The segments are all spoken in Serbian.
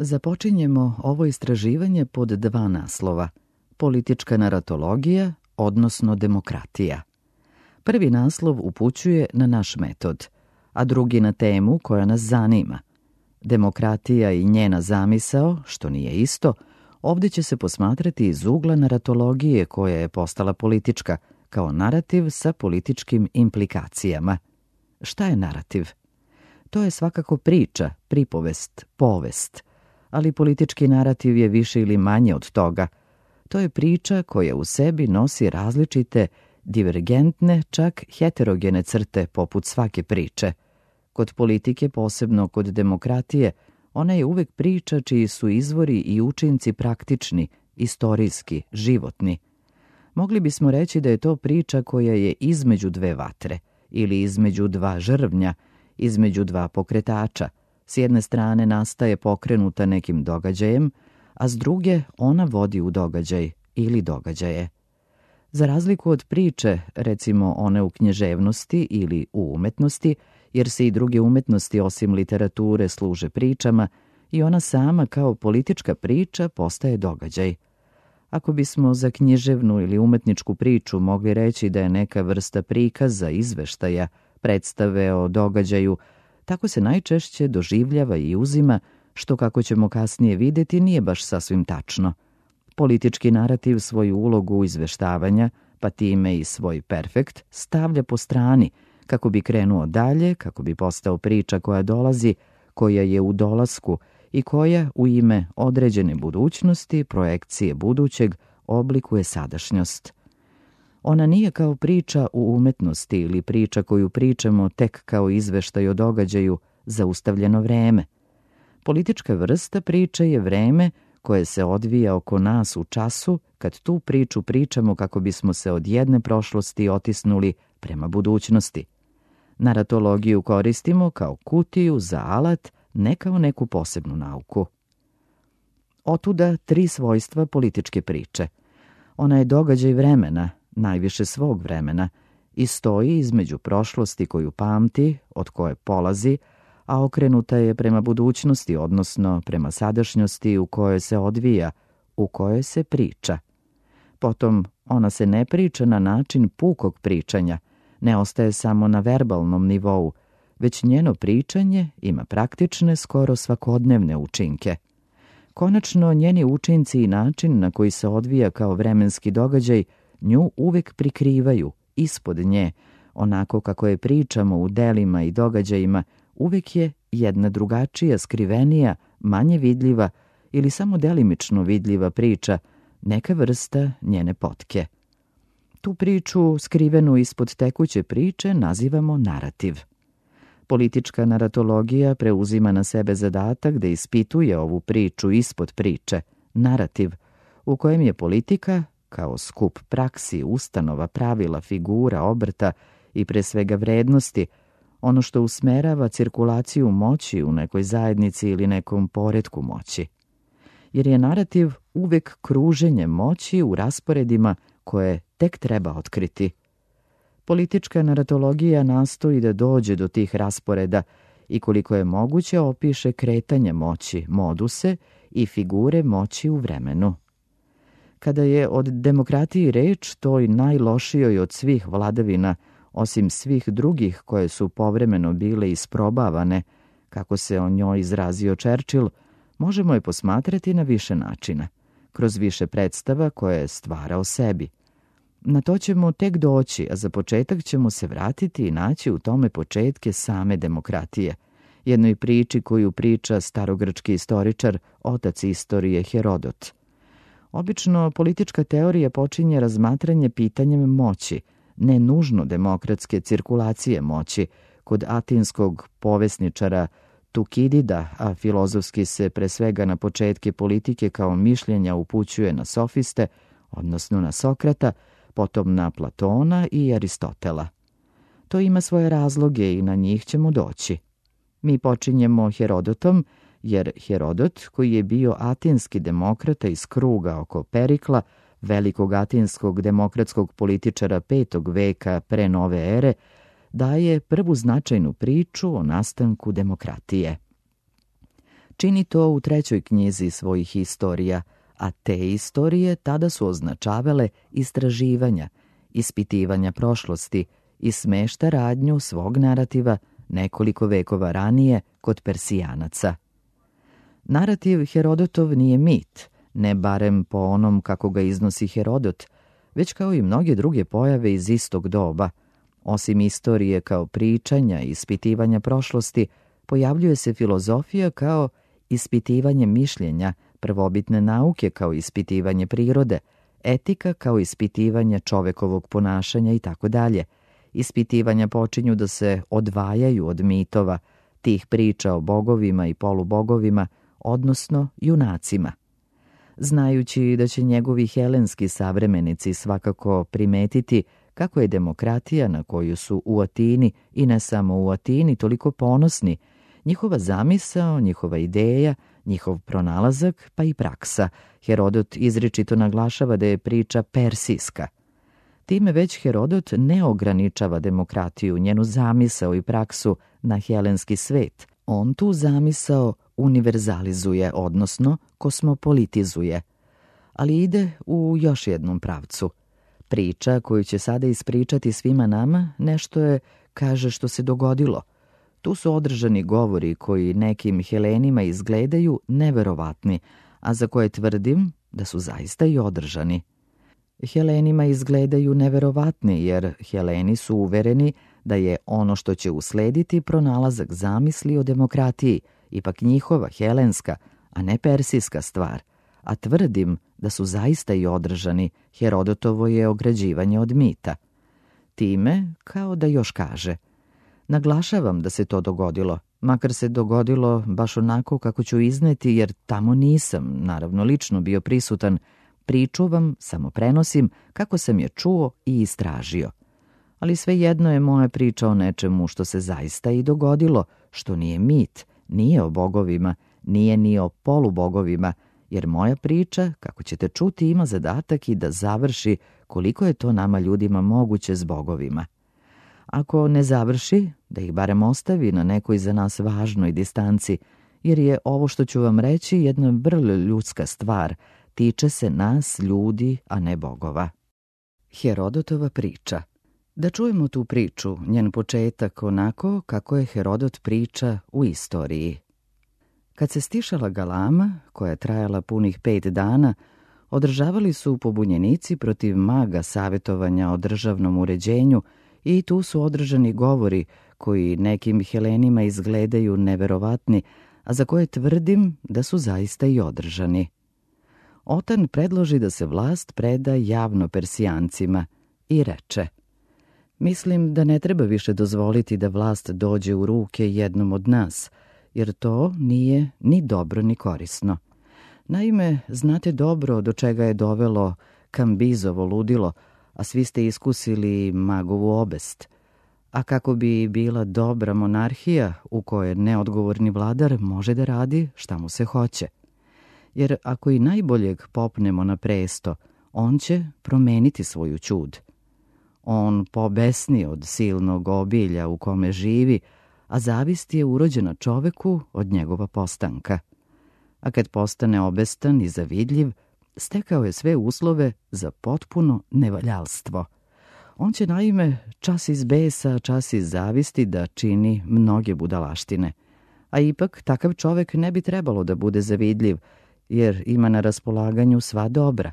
Započinjemo ovo istraživanje pod dva naslova: politička naratologija, odnosno demokratija. Prvi naslov upućuje na naš metod, a drugi na temu koja nas zanima. Demokratija i njena zamisao, što nije isto, ovdje će se posmatrati iz ugla naratologije koja je postala politička, kao narativ sa političkim implikacijama. Šta je narativ? To je svakako priča, pripovest, povest, ali politički narativ je više ili manje od toga. To je priča koja u sebi nosi različite, divergentne, čak heterogene crte poput svake priče. Kod politike, posebno kod demokratije, ona je uvek priča čiji su izvori i učinci praktični, istorijski, životni. Mogli bismo reći da je to priča koja je između dve vatre ili između dva žrvnja, između dva pokretača. S jedne strane nastaje pokrenuta nekim događajem, a s druge ona vodi u događaj ili događaje. Za razliku od priče, recimo one u književnosti ili u umetnosti, jer se i druge umetnosti osim literature služe pričama, i ona sama kao politička priča postaje događaj. Ako bismo za književnu ili umetničku priču mogli reći da je neka vrsta prikaza, izveštaja, predstave o događaju, tako se najčešće doživljava i uzima, što, kako ćemo kasnije vidjeti, nije baš sasvim tačno. Politički narativ svoju ulogu izveštavanja, pa time i svoj perfekt, stavlja po strani, kako bi krenuo dalje, kako bi postao priča koja dolazi, koja je u dolasku i koja u ime određene budućnosti, projekcije budućeg, oblikuje sadašnjost. Ona nije kao priča u umetnosti ili priča koju pričamo tek kao izveštaj o događaju zaustavljeno vreme. Politička vrsta priče je vreme koje se odvija oko nas u času kad tu priču pričamo kako bismo se od jedne prošlosti otisnuli prema budućnosti. Naratologiju koristimo kao kutiju za alat, ne kao neku posebnu nauku. Otuda tri svojstva političke priče. Ona je događaj vremena, najviše svog vremena, i stoji između prošlosti koju pamti, od koje polazi, a okrenuta je prema budućnosti, odnosno prema sadašnjosti u kojoj se odvija, u kojoj se priča. Potom, ona se ne priča na način pukog pričanja, ne ostaje samo na verbalnom nivou, već njeno pričanje ima praktične, skoro svakodnevne učinke. Konačno, njeni učinci i način na koji se odvija kao vremenski događaj nju uvek prikrivaju, ispod nje, onako kako je pričamo u delima i događajima, uvek je jedna drugačija, skrivenija, manje vidljiva ili samo delimično vidljiva priča, neka vrsta njene potke. Tu priču, skrivenu ispod tekuće priče, nazivamo narativ. Politička naratologija preuzima na sebe zadatak da ispituje ovu priču ispod priče, narativ, u kojem je politika, kao skup praksi, ustanova, pravila, figura, obrta i pre svega vrednosti, ono što usmerava cirkulaciju moći u nekoj zajednici ili nekom poretku moći. Jer je narativ uvek kruženje moći u rasporedima koje tek treba otkriti. Politička naratologija nastoji da dođe do tih rasporeda i koliko je moguće opiše kretanje moći, moduse i figure moći u vremenu. Kada je od demokratiji reč, toj najlošijoj od svih vladavina, osim svih drugih koje su povremeno bile isprobavane, kako se o njoj izrazio Churchill, možemo je posmatrati na više načina, kroz više predstava koje je stvarao sebi. Na to ćemo tek doći, a za početak ćemo se vratiti i naći u tome početke same demokratije, jednoj priči koju priča starogrčki istoričar, otac istorije Herodot. Obično politička teorija počinje razmatranje pitanjem moći, ne nužno demokratske cirkulacije moći, kod atinskog povesničara Tukidida, a filozofski se pre svega na početke politike kao mišljenja upućuje na sofiste, odnosno na Sokrata, potom na Platona i Aristotela. To ima svoje razloge i na njih ćemo doći. Mi počinjemo Herodotom, jer Herodot, koji je bio atinski demokrata iz kruga oko Perikla, velikog atinskog demokratskog političara 5. veka pre nove ere, daje prvu značajnu priču o nastanku demokratije. Čini to u 3. knjizi svojih istorija, a te istorije tada su označavale istraživanja, ispitivanja prošlosti i smešta radnju svog narativa nekoliko vekova ranije kod Persijanaca. Narativ Herodotov nije mit, ne barem po onom kako ga iznosi Herodot, već kao i mnoge druge pojave iz istog doba. Osim istorije kao pričanja i ispitivanja prošlosti, pojavljuje se filozofija kao ispitivanje mišljenja, prvobitne nauke kao ispitivanje prirode, etika kao ispitivanje čovekovog ponašanja itd. Ispitivanja počinju da se odvajaju od mitova, tih priča o bogovima i polubogovima, odnosno junacima. Znajući da će njegovi helenski savremenici svakako primetiti kako je demokratija na koju su u Atini i ne samo u Atini toliko ponosni, njihova zamisao, njihova ideja, njihov pronalazak pa i praksa, Herodot izričito naglašava da je priča persijska. Time već Herodot ne ograničava demokratiju, njenu zamisao i praksu na helenski svet. On tu zamisao univerzalizuje, odnosno kosmopolitizuje, ali ide u još jednom pravcu. Priča koju će sada ispričati svima nama nešto je, kaže, što se dogodilo. Tu su održani govori koji nekim Helenima izgledaju neverovatni, a za koje tvrdim da su zaista i održani. Helenima izgledaju neverovatni jer Heleni su uvereni da je ono što će uslediti pronalazak zamisli o demokratiji, ipak njihova helenska, a ne persijska stvar, a tvrdim da su zaista i održani, Herodotovo je ograđivanje od mita. Time, kao da još kaže, naglašavam da se to dogodilo, makar se dogodilo baš onako kako ću izneti, jer tamo nisam, naravno lično bio prisutan, priču vam samo prenosim kako sam je čuo i istražio. Ali svejedno je moja priča o nečemu što se zaista i dogodilo, što nije mit, nije o bogovima, nije ni o polubogovima, jer moja priča, kako ćete čuti, ima zadatak i da završi koliko je to nama ljudima moguće s bogovima. Ako ne završi, da ih barem ostavi na nekoj za nas važnoj distanci, jer je ovo što ću vam reći jedna vrlo ljudska stvar, tiče se nas, ljudi, a ne bogova. Herodotova priča. Da čujemo tu priču, njen početak onako kako je Herodot priča u istoriji. Kad se stišala galama, koja je trajala punih 5 dana, održavali su pobunjenici protiv maga savjetovanja o državnom uređenju i tu su održani govori koji nekim Helenima izgledaju neverovatni, a za koje tvrdim da su zaista i održani. Otan predloži da se vlast preda javno Persijancima i reče: mislim da ne treba više dozvoliti da vlast dođe u ruke jednom od nas, jer to nije ni dobro ni korisno. Naime, znate dobro do čega je dovelo Kambizovo ludilo, a svi ste iskusili magovu obest. A kako bi bila dobra monarhija u kojoj neodgovorni vladar može da radi šta mu se hoće. Jer ako i najboljeg popnemo na presto, on će promeniti svoju ćud. On pobesni od silnog obilja u kome živi, a zavist je urođena čoveku od njegova postanka. A kad postane obestan i zavidljiv, stekao je sve uslove za potpuno nevaljalstvo. On će naime čas iz besa, čas iz zavisti da čini mnoge budalaštine. A ipak takav čovek ne bi trebalo da bude zavidljiv, jer ima na raspolaganju sva dobra.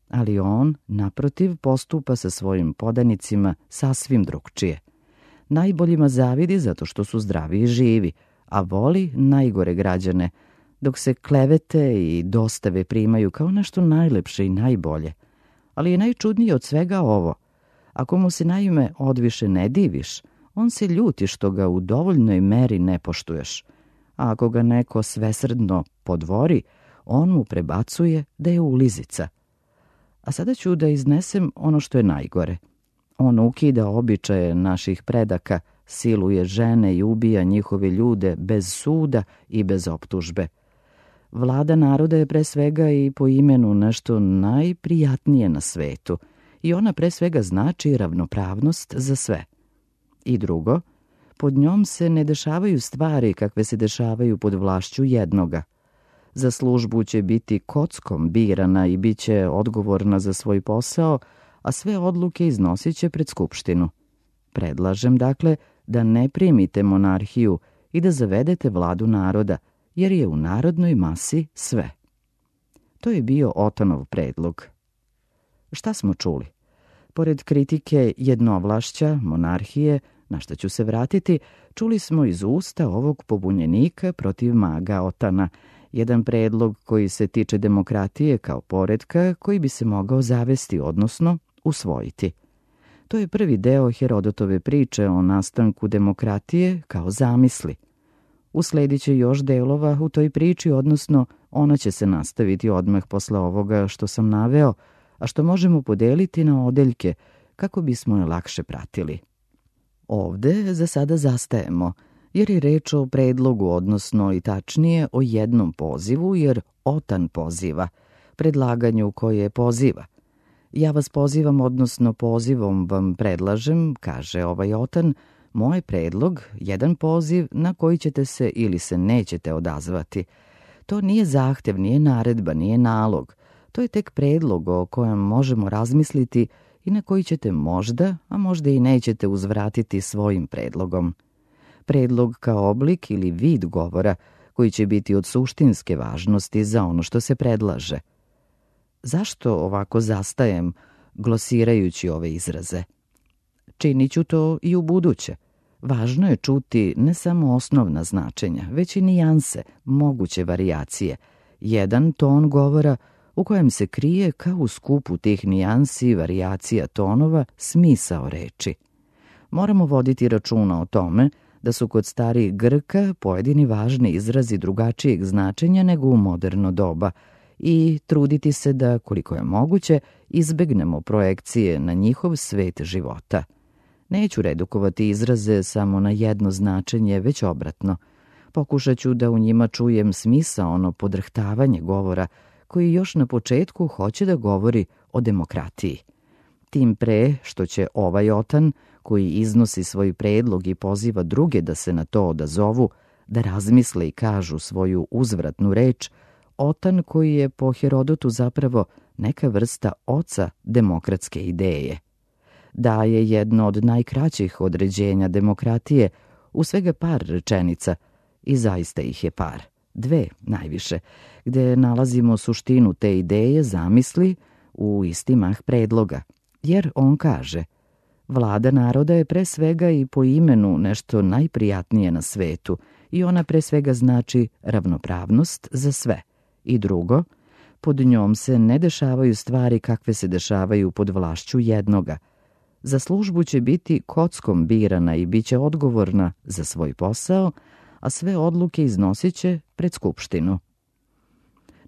Ali on, naprotiv, postupa sa svojim podanicima sasvim drugčije. Najboljima zavidi zato što su zdravi i živi, a voli najgore građane, dok se klevete i dostave primaju kao nešto najlepše i najbolje. Ali je najčudnije od svega ovo. Ako mu se naime odviše ne diviš, on se ljuti što ga u dovoljnoj meri ne poštuješ. A ako ga neko svesrdno podvori, on mu prebacuje da je ulizica. A sada ću da iznesem ono što je najgore. On ukida običaje naših predaka, siluje žene i ubija njihove ljude bez suda i bez optužbe. Vlada naroda je pre svega i po imenu nešto najprijatnije na svetu i ona pre svega znači ravnopravnost za sve. I drugo, Pod njom se ne dešavaju stvari kakve se dešavaju pod vlašću jednoga. Za službu će biti kockom birana i bit će odgovorna za svoj posao, a sve odluke iznosit će pred skupštinu. Predlažem, dakle, da ne primite monarhiju i da zavedete vladu naroda, jer je u narodnoj masi sve. To je bio Otanov predlog. Šta smo čuli? Pored kritike jednovlašća, monarhije, na što ću se vratiti, čuli smo iz usta ovog pobunjenika protiv maga Otana, jedan predlog koji se tiče demokratije kao poretka koji bi se mogao zavesti, odnosno usvojiti. To je prvi deo Herodotove priče o nastanku demokratije kao zamisli. Usledit će još delova u toj priči, odnosno ona će se nastaviti odmah posle ovoga što sam naveo, a što možemo podeliti na odeljke kako bismo je lakše pratili. Ovde za sada zastajemo, jer je reč o predlogu, odnosno i tačnije o jednom pozivu, jer Otan poziva, predlaganju koje poziva. Ja vas pozivam, odnosno pozivom vam predlažem, kaže ovaj Otan, moj predlog, jedan poziv na koji ćete se ili se nećete odazvati. To nije zahtev, nije naredba, nije nalog. To je tek predlog o kojem možemo razmisliti i na koji ćete možda, a možda i nećete uzvratiti svojim predlogom. Predlog kao oblik ili vid govora koji će biti od suštinske važnosti za ono što se predlaže. Zašto ovako zastajem, glosirajući ove izraze? Činit ću to i u buduće. Važno je čuti ne samo osnovna značenja, već i nijanse, moguće varijacije. Jedan ton govora u kojem se krije kao u skupu tih nijansi i varijacija tonova smisao reči. Moramo voditi računa o tome da su kod starijih Grka pojedini važni izrazi drugačijeg značenja nego u moderno doba i truditi se da, koliko je moguće, izbegnemo projekcije na njihov svet života. Neću redukovati izraze samo na jedno značenje, već obratno. Pokušat ću da u njima čujem smisao, ono podrhtavanje govora, koji još na početku hoće da govori o demokratiji. Tim pre što će ovaj Otan, koji iznosi svoj predlog i poziva druge da se na to odazovu, da razmisle i kažu svoju uzvratnu reč, Otan koji je po Herodotu zapravo neka vrsta oca demokratske ideje. Daje jedno od najkraćih određenja demokratije u svega par rečenica, i zaista ih je par, dve najviše, gde nalazimo suštinu te ideje, zamisli, u isti mah predloga. Jer on kaže, vlada naroda je pre svega i po imenu nešto najprijatnije na svetu i ona pre svega znači ravnopravnost za sve. I drugo, pod njom se ne dešavaju stvari kakve se dešavaju pod vlašću jednoga. Za službu će biti kockom birana i bit će odgovorna za svoj posao, a sve odluke iznosit će pred skupštinu.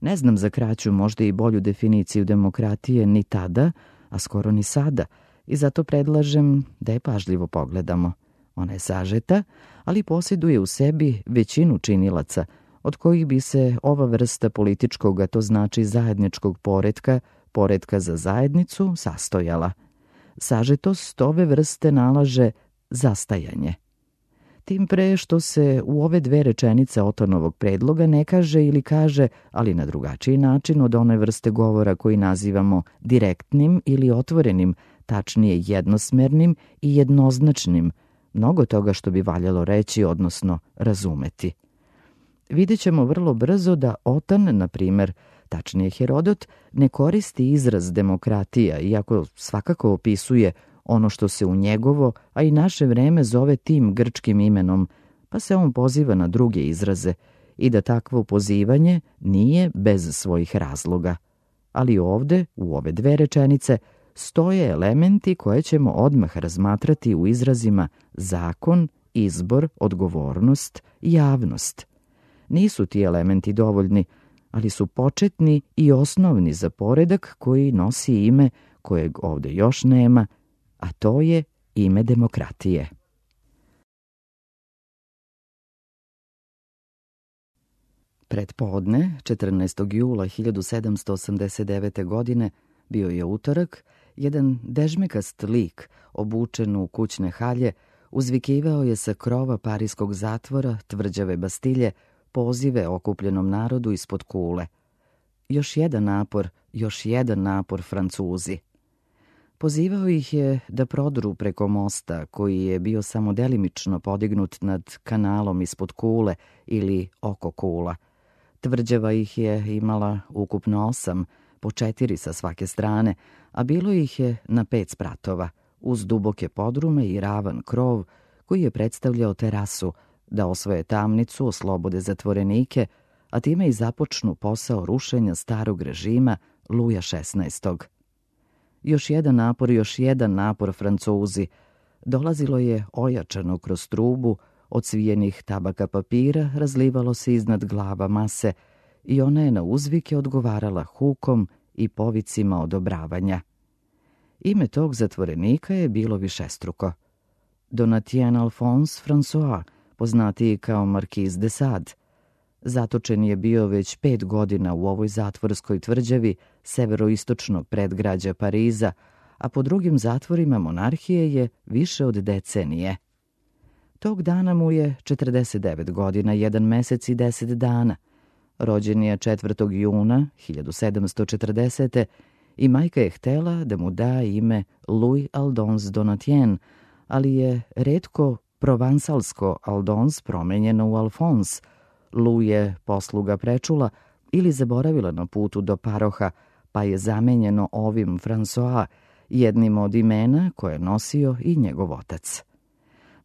Ne znam za kraću, možda i bolju definiciju demokratije ni tada, a skoro ni sada, i zato predlažem da je pažljivo pogledamo. Ona je sažeta, ali posjeduje u sebi većinu činilaca, od kojih bi se ova vrsta političkog, a to znači zajedničkog poretka, poretka za zajednicu, sastojala. Sažetost ove vrste nalaže zastajanje. Tim pre što se u ove dve rečenice Otanovog predloga ne kaže ili kaže, ali na drugačiji način od one vrste govora koji nazivamo direktnim ili otvorenim, tačnije jednosmernim i jednoznačnim, mnogo toga što bi valjalo reći, odnosno razumeti. Vidjet ćemo vrlo brzo da Otan, na primer, tačnije Herodot, ne koristi izraz demokratija, iako svakako opisuje ono što se u njegovo, a i naše vreme zove tim grčkim imenom, pa se on poziva na druge izraze i da takvo pozivanje nije bez svojih razloga. Ali ovde, u ove dve rečenice, stoje elementi koje ćemo odmah razmatrati u izrazima zakon, izbor, odgovornost i javnost. Nisu ti elementi dovoljni, ali su početni i osnovni za poredak koji nosi ime kojeg ovde još nema, a to je ime demokratije. Pretpodne, 14. jula 1789. godine, bio je utorak, jedan dežmekast lik, obučen u kućne halje, Uzvikivao je sa krova parijskog zatvora, tvrđave Bastilje, pozive okupljenom narodu ispod kule. Još jedan napor, Francuzi. Pozivao ih je da prodru preko mosta, koji je bio samo delimično podignut nad kanalom ispod kule ili oko kula. Tvrđava ih je imala ukupno 8, po 4 sa svake strane, a bilo ih je na 5 spratova, uz duboke podrume i ravan krov koji je predstavljao terasu, da osvoje tamnicu, oslobode zatvorenike, a time i započnu posao rušenja starog režima Luja XVI. Još jedan napor, Francuzi. Dolazilo je ojačano kroz trubu, od svijenih tabaka papira razlivalo se iznad glava mase i ona je na uzvike odgovarala hukom i povicima odobravanja. Ime tog zatvorenika je bilo višestruko. Donatien Alphonse François, poznatiji kao Marquis de Sade. Zatočen je bio već 5 godina u ovoj zatvorskoj tvrđavi severoistočnog predgrađa Pariza, a po drugim zatvorima monarhije je više od decenije. Tog dana mu je 49 godina, 1 mesec i 10 dana. Rođen je 4. juna 1740. i majka je htela da mu da ime Louis Aldonse Donatien, ali je retko provansalsko Aldonse promenjeno u Alphonse. Louis je posluga prečula ili zaboravila na putu do paroha, pa je zamenjeno ovim François, jednim od imena koje je nosio i njegov otac.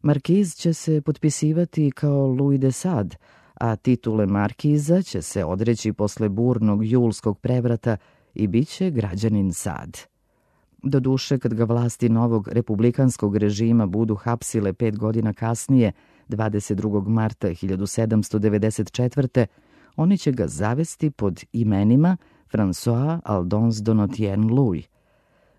Markiz će se potpisivati kao Louis de Sade, a titule markiza će se odreći posle burnog julskog prevrata i bit će građanin Sade. Doduše, kad ga vlasti novog republikanskog režima budu hapsile 5 godina kasnije, 22. marta 1794. oni će ga zavesti pod imenima François Aldonse Donatien Louis.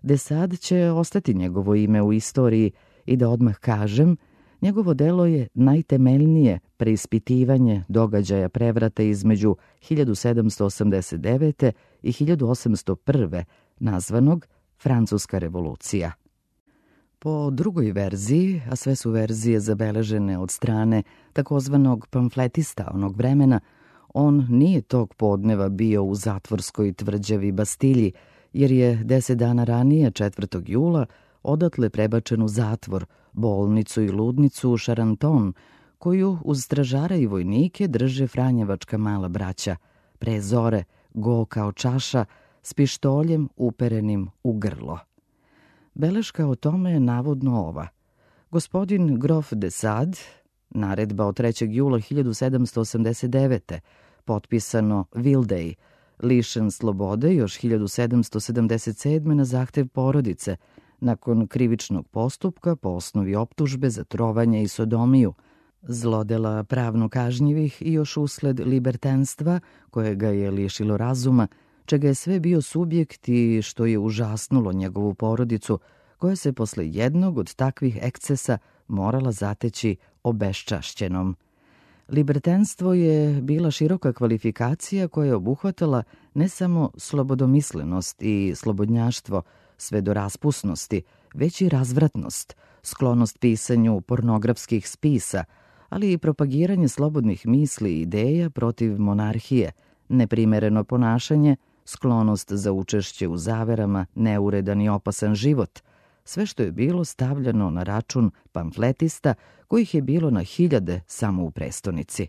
De Sade će ostati njegovo ime u istoriji i da odmah kažem, njegovo delo je najtemeljnije preispitivanje događaja prevrata između 1789. i 1801. nazvanog Francuska revolucija. Po drugoj verziji, a sve su verzije zabeležene od strane takozvanog pamfletista onog vremena, on nije tog podneva bio u zatvorskoj tvrđavi Bastilji, jer je 10 dana ranije, 4. jula, odatle prebačen u zatvor, bolnicu i ludnicu u Charenton, koju uz stražara i vojnike drže franjevačka mala braća, pre zore, go kao čaša, s pištoljem uperenim u grlo. Beleška o tome je navodno ova. Gospodin grof de Sade, naredba od 3. jula 1789. potpisano Vildej, lišen slobode još 1777. na zahtev porodice, nakon krivičnog postupka po osnovi optužbe za trovanje i sodomiju, zlodela pravno kažnjivih i još usled libertenstva koje ga je lišilo razuma, čega je sve bio subjekt i što je užasnulo njegovu porodicu, koja se posle jednog od takvih ekscesa morala zateći obeščašćenom. Libertenstvo je bila široka kvalifikacija koja je obuhvatala ne samo slobodomislenost i slobodnjaštvo, sve do raspusnosti, već i razvratnost, sklonost pisanju pornografskih spisa, ali i propagiranje slobodnih misli i ideja protiv monarhije, neprimereno ponašanje, sklonost za učešće u zaverama, neuredan i opasan život, sve što je bilo stavljano na račun pamfletista kojih je bilo na hiljade samo u prestonici.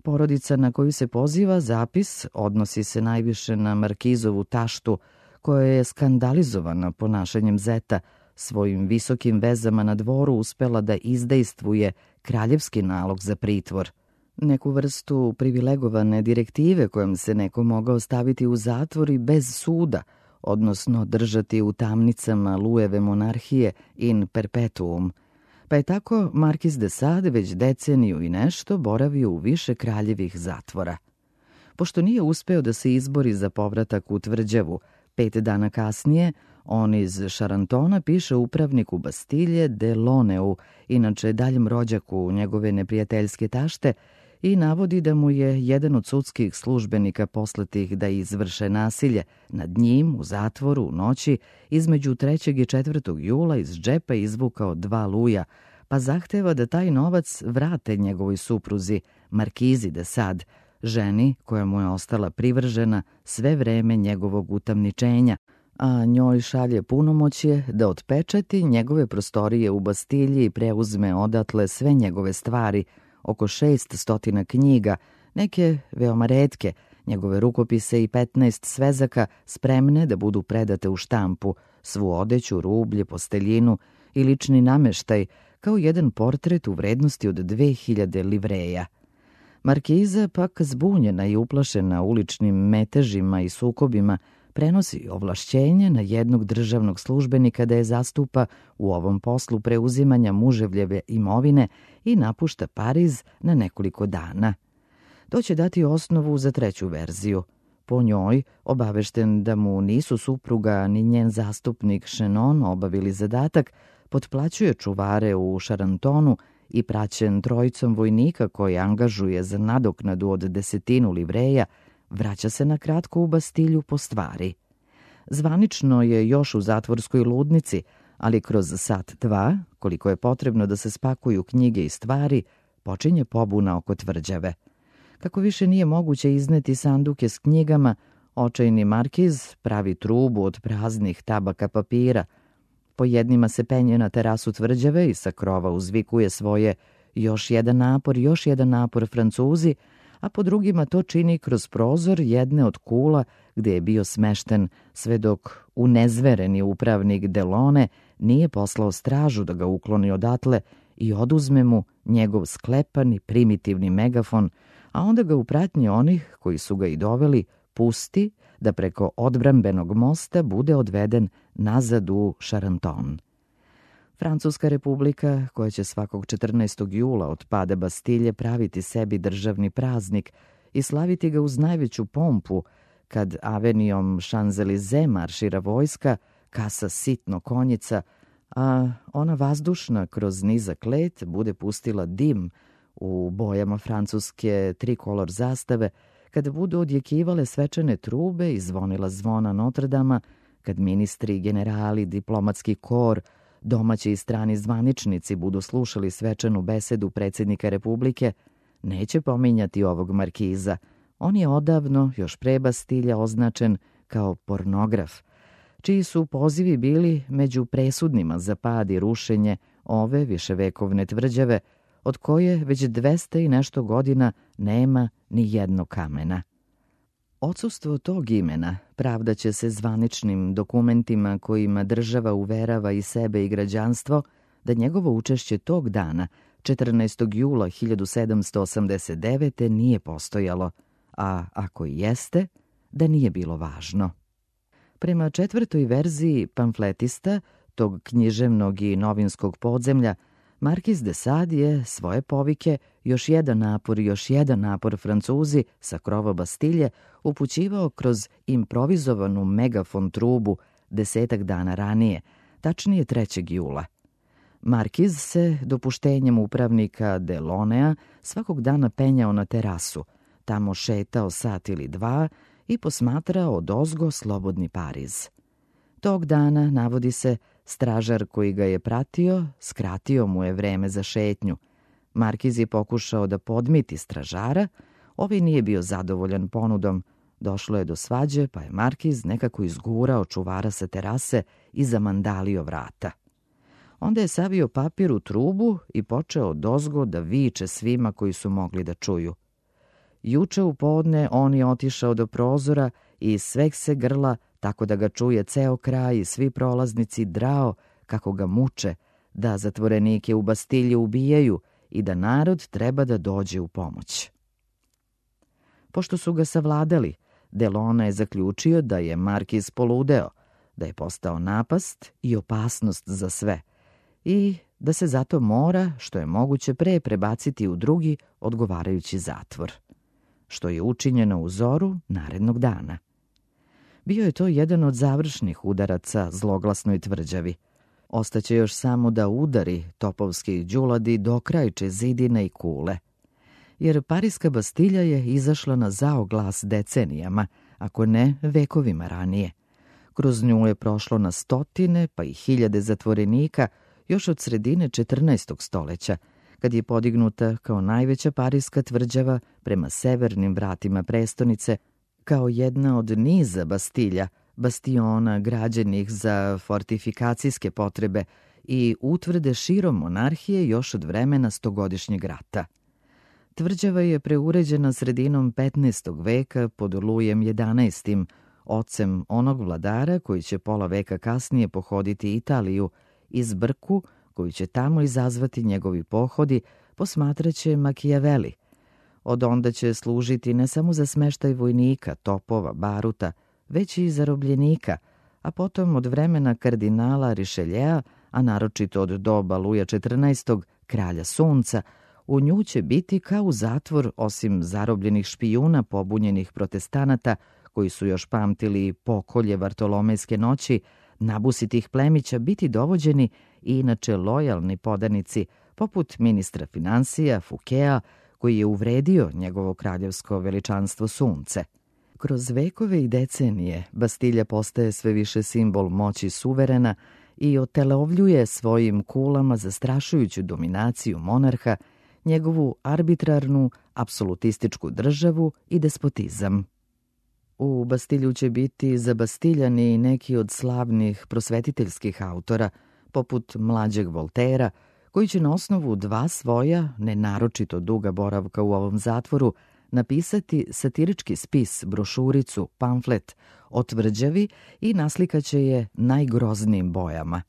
Porodica na koju se poziva zapis odnosi se najviše na Markizovu taštu, koja je skandalizovana ponašanjem zeta, svojim visokim vezama na dvoru uspela da izdejstvuje kraljevski nalog za pritvor, neku vrstu privilegovane direktive kojom se neko mogao staviti u zatvor i bez suda, odnosno držati u tamnicama Lujeve monarhije in perpetuum, pa je tako Markiz de Sade već deceniju i nešto boravio u više kraljevih zatvora. Pošto nije uspeo da se izbori za povratak u tvrđavu, 5 dana kasnije on iz Charentona piše upravniku Bastilje de Loneu, inače daljem rođaku njegove neprijateljske tašte, i navodi da mu je jedan od sudskih službenika poslatih da izvrše nasilje nad njim u zatvoru u noći između 3. i 4. jula iz džepa izvukao 2 luja, pa zahteva da taj novac vrate njegovoj supruzi, Markizi de Sade, ženi koja mu je ostala privržena sve vreme njegovog utamničenja, a njoj šalje punomoćje da otpečati njegove prostorije u Bastilji i preuzme odatle sve njegove stvari, oko 600 knjiga, neke veoma retke, njegove rukopise i 15 svezaka spremne da budu predate u štampu, svu odeću, rublje, posteljinu i lični nameštaj, kao jedan portret u vrednosti od 2000 livreja. Markiza, pak zbunjena i uplašena uličnim metežima i sukobima, prenosi ovlašćenje na jednog državnog službenika da je zastupa u ovom poslu preuzimanja muževljeve imovine i napušta Pariz na nekoliko dana. To će dati osnovu za treću verziju. Po njoj, obavešten da mu nisu supruga ni njen zastupnik Chenon obavili zadatak, potplaćuje čuvare u Šarantonu i praćen trojicom vojnika koji angažuje za nadoknadu od 10 livreja, vraća se na kratko u Bastilju po stvari. Zvanično je još u zatvorskoj ludnici, ali kroz sat dva, koliko je potrebno da se spakuju knjige i stvari, počinje pobuna oko tvrđave. Kako više nije moguće izneti sanduke s knjigama, očajni Markiz pravi trubu od praznih tabaka papira. Po jednima se penje na terasu tvrđave i sa krova uzvikuje svoje još jedan napor, Francuzi, a po drugima to čini kroz prozor jedne od kula gde je bio smešten, sve dok unezvereni upravnik Delone nije poslao stražu da ga ukloni odatle i oduzme mu njegov sklepani primitivni megafon, a onda ga u pratnji onih koji su ga i doveli pusti da preko odbrambenog mosta bude odveden nazad u Charenton. Francuska republika, koja će svakog 14. jula od pada Bastilje praviti sebi državni praznik i slaviti ga uz najveću pompu, kad avenijom Champs-Élysées maršira vojska, kasa sitno konjica, a ona vazdušna kroz nizak let bude pustila dim u bojama francuske trikolor zastave, kada budu odjekivale svečane trube i zvonila zvona Notredama, kad ministri, generali, diplomatski kor, domaći i strani zvaničnici budu slušali svečanu besedu predsjednika Republike, neće pominjati ovog Markiza. On je odavno, još pre Bastilja, označen kao pornograf, čiji su pozivi bili među presudnima za pad i rušenje ove viševekovne tvrđave, od koje već 200 i nešto godina nema ni jednog kamena. Odsustvo tog imena pravdaće se zvaničnim dokumentima kojima država uverava i sebe i građanstvo da njegovo učešće tog dana, 14. jula 1789. nije postojalo, a ako i jeste, da nije bilo važno. Prema četvrtoj verziji pamfletista, tog književnog i novinskog podzemlja, Markiz de Sade je svoje povike još jedan napor, Francuzi sa krova Bastilje upućivao kroz improvizovanu megafon trubu 10 dana ranije, tačnije 3. jula. Markiz se dopuštenjem upravnika Delonea svakog dana penjao na terasu, tamo šetao sat ili dva i posmatrao odozgo slobodni Pariz. Tog dana, navodi se, stražar koji ga je pratio, skratio mu je vreme za šetnju. Markiz je pokušao da podmiti stražara, ovaj nije bio zadovoljan ponudom. Došlo je do svađe, pa je Markiz nekako izgurao čuvara sa terase i zamandalio vrata. Onda je savio papir u trubu i počeo odozgo da viče svima koji su mogli da čuju. Juče u podne on je otišao do prozora i iz sveg se grla, tako da ga čuje ceo kraj i svi prolaznici, drao kako ga muče, da zatvorenike u Bastilji ubijaju i da narod treba da dođe u pomoć. Pošto su ga savladali, Delona je zaključio da je Markiz poludeo, da je postao napast i opasnost za sve i da se zato mora, što je moguće pre, prebaciti u drugi odgovarajući zatvor, što je učinjeno u zoru narednog dana. Bio je to jedan od završnih udaraca zloglasnoj tvrđavi. Ostaće još samo da udari topovski đuladi dokrajče zidine i kule. Jer Pariska Bastilja je izašla na zao glas decenijama, ako ne vekovima ranije. Kroz nju je prošlo na stotine, pa i hiljade zatvorenika još od sredine 14. stoleća, kad je podignuta kao najveća parijska tvrđava prema severnim vratima prestonice, kao jedna od niza bastilja, bastiona građenih za fortifikacijske potrebe i utvrde širom monarhije još od vremena stogodišnjeg rata. Tvrđava je preuređena sredinom 15. veka pod Lujem XI, ocem onog vladara koji će pola veka kasnije pohoditi Italiju, i zbrku koju će tamo izazvati njegovi pohodi posmatraće Machiavelli. Od onda će služiti ne samo za smeštaj vojnika, topova, baruta, već i zarobljenika, a potom od vremena kardinala Richelieu, a naročito od doba Luja XIV, kralja sunca, u nju će biti kao u zatvor, osim zarobljenih špijuna pobunjenih protestanata, koji su još pamtili pokolje Vartolomejske noći, nabusitih plemića biti dovođeni i inače lojalni podanici, poput ministra finansija Fouqueta, koji je uvredio njegovo kraljevsko veličanstvo sunce. Kroz vekove i decenije Bastilja postaje sve više simbol moći suverena i otelovljuje svojim kulama zastrašujuću dominaciju monarha, njegovu arbitrarnu, apsolutističku državu i despotizam. U Bastilju će biti zabastiljani i neki od slavnih prosvetiteljskih autora, poput mlađeg Voltera, koji će na osnovu dva svoja, nenaročito duga boravka u ovom zatvoru, napisati satirički spis, brošuricu, pamflet o tvrđavi i naslikaće je najgroznijim bojama.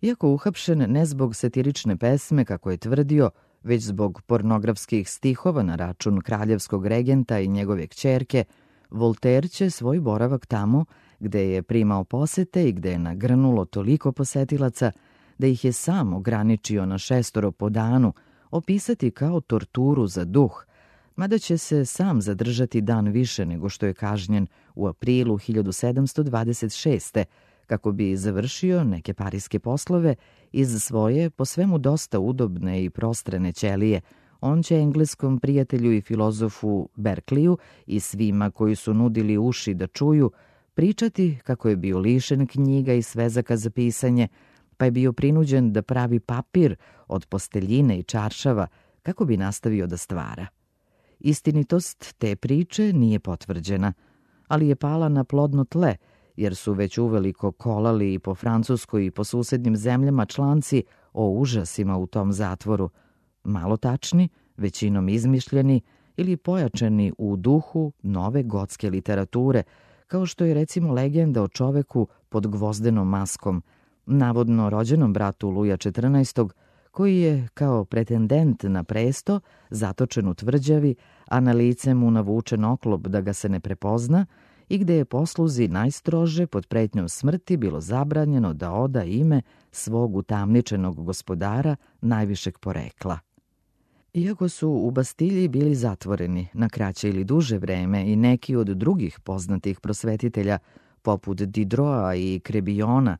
Iako uhapšen ne zbog satirične pesme, kako je tvrdio, već zbog pornografskih stihova na račun kraljevskog regenta i njegove kćerke, Voltaire će svoj boravak tamo, gde je primao posete i gde je nagrnulo toliko posetilaca, da ih je sam ograničio na 6 po danu, opisati kao torturu za duh, mada će se sam zadržati dan više nego što je kažnjen u aprilu 1726. kako bi završio neke parijske poslove iz svoje, po svemu dosta udobne i prostrane ćelije. On će engleskom prijatelju i filozofu Berkeleyu i svima koji su nudili uši da čuju pričati kako je bio lišen knjiga i svezaka za pisanje, pa je bio prinuđen da pravi papir od posteljine i čaršava kako bi nastavio da stvara. Istinitost te priče nije potvrđena, ali je pala na plodno tle, jer su već uveliko kolali i po Francuskoj i po susednim zemljama članci o užasima u tom zatvoru, malo tačni, većinom izmišljeni ili pojačani u duhu nove gotske literature, kao što je recimo legenda o čoveku pod gvozdenom maskom, navodno rođenom bratu Luja XIV, koji je kao pretendent na presto zatočen u tvrđavi, a na lice mu navučen oklop da ga se ne prepozna i gde je posluzi najstrože pod pretnjom smrti bilo zabranjeno da oda ime svog utamničenog gospodara najvišeg porekla. Iako su u Bastilji bili zatvoreni na kraće ili duže vreme i neki od drugih poznatih prosvetitelja, poput Diderota i Crebillona,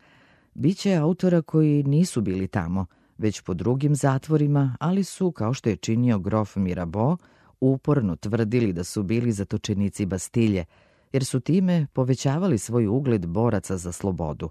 biće autora koji nisu bili tamo, već po drugim zatvorima, ali su, kao što je činio grof Mirabeau, uporno tvrdili da su bili zatočenici Bastilje, jer su time povećavali svoj ugled boraca za slobodu.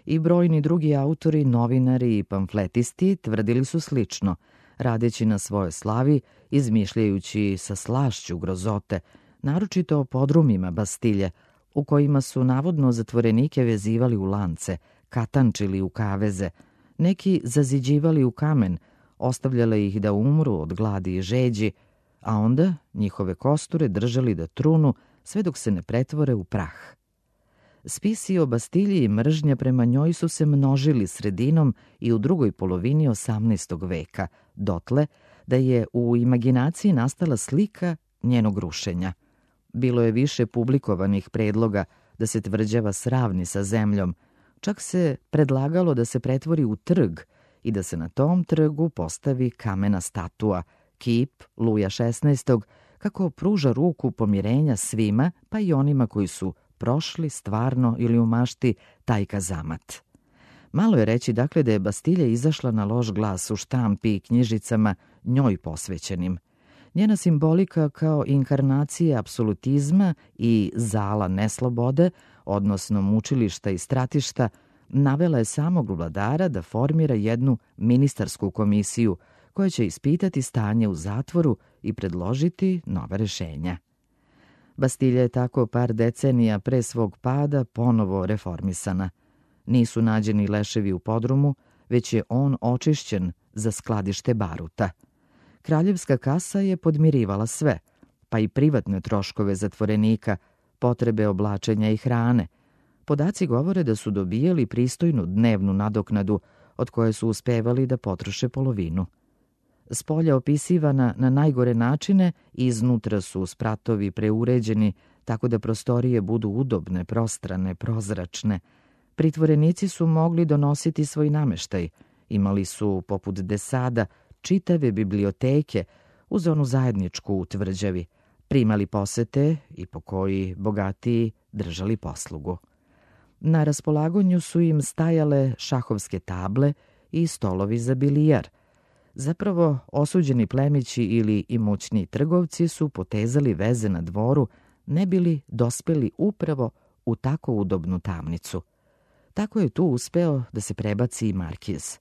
I brojni drugi autori, novinari i pamfletisti tvrdili su slično, radeći na svojoj slavi, izmišljajući sa slašću grozote, naročito o podrumima Bastilje, u kojima su navodno zatvorenike vezivali u lance, katančili u kaveze, neki zaziđivali u kamen, ostavljali ih da umru od gladi i žeđi, a onda njihove kosture držali da trunu sve dok se ne pretvore u prah. Spisi o Bastilji i mržnja prema njoj su se množili sredinom i u drugoj polovini 18. veka, dotle da je u imaginaciji nastala slika njenog rušenja. Bilo je više publikovanih predloga da se tvrđava sravni sa zemljom, čak se predlagalo da se pretvori u trg i da se na tom trgu postavi kamena statua, kip Luja XVI, kako pruža ruku pomirenja svima, pa i onima koji su prošli stvarno ili u mašti taj kazamat. Malo je reći dakle da je Bastilja izašla na loš glas u štampi i knjižicama njoj posvećenim. Njena simbolika kao inkarnacija apsolutizma i zala neslobode, odnosno mučilišta i stratišta, navela je samog vladara da formira jednu ministarsku komisiju koja će ispitati stanje u zatvoru i predložiti nova rešenja. Bastilja je tako par decenija pre svog pada ponovo reformisana. Nisu nađeni leševi u podrumu, već je on očišćen za skladište baruta. Kraljevska kasa je podmirivala sve, pa i privatne troškove zatvorenika, potrebe oblačenja i hrane. Podaci govore da su dobijali pristojnu dnevnu nadoknadu, od koje su uspevali da potroše polovinu. Spolja opisivana na najgore načine, iznutra su spratovi preuređeni, tako da prostorije budu udobne, prostrane, prozračne. Pritvorenici su mogli donositi svoj nameštaj. Imali su, poput desada, čitave biblioteke uz onu zajedničku u tvrđavi. Primali posete i po koji bogatiji držali poslugu. Na raspolaganju su im stajale šahovske table i stolovi za bilijar. Zapravo, osuđeni plemići ili imućni trgovci su potezali veze na dvoru, ne bili dospeli upravo u tako udobnu tamnicu. Tako je tu uspeo da se prebaci i markiz.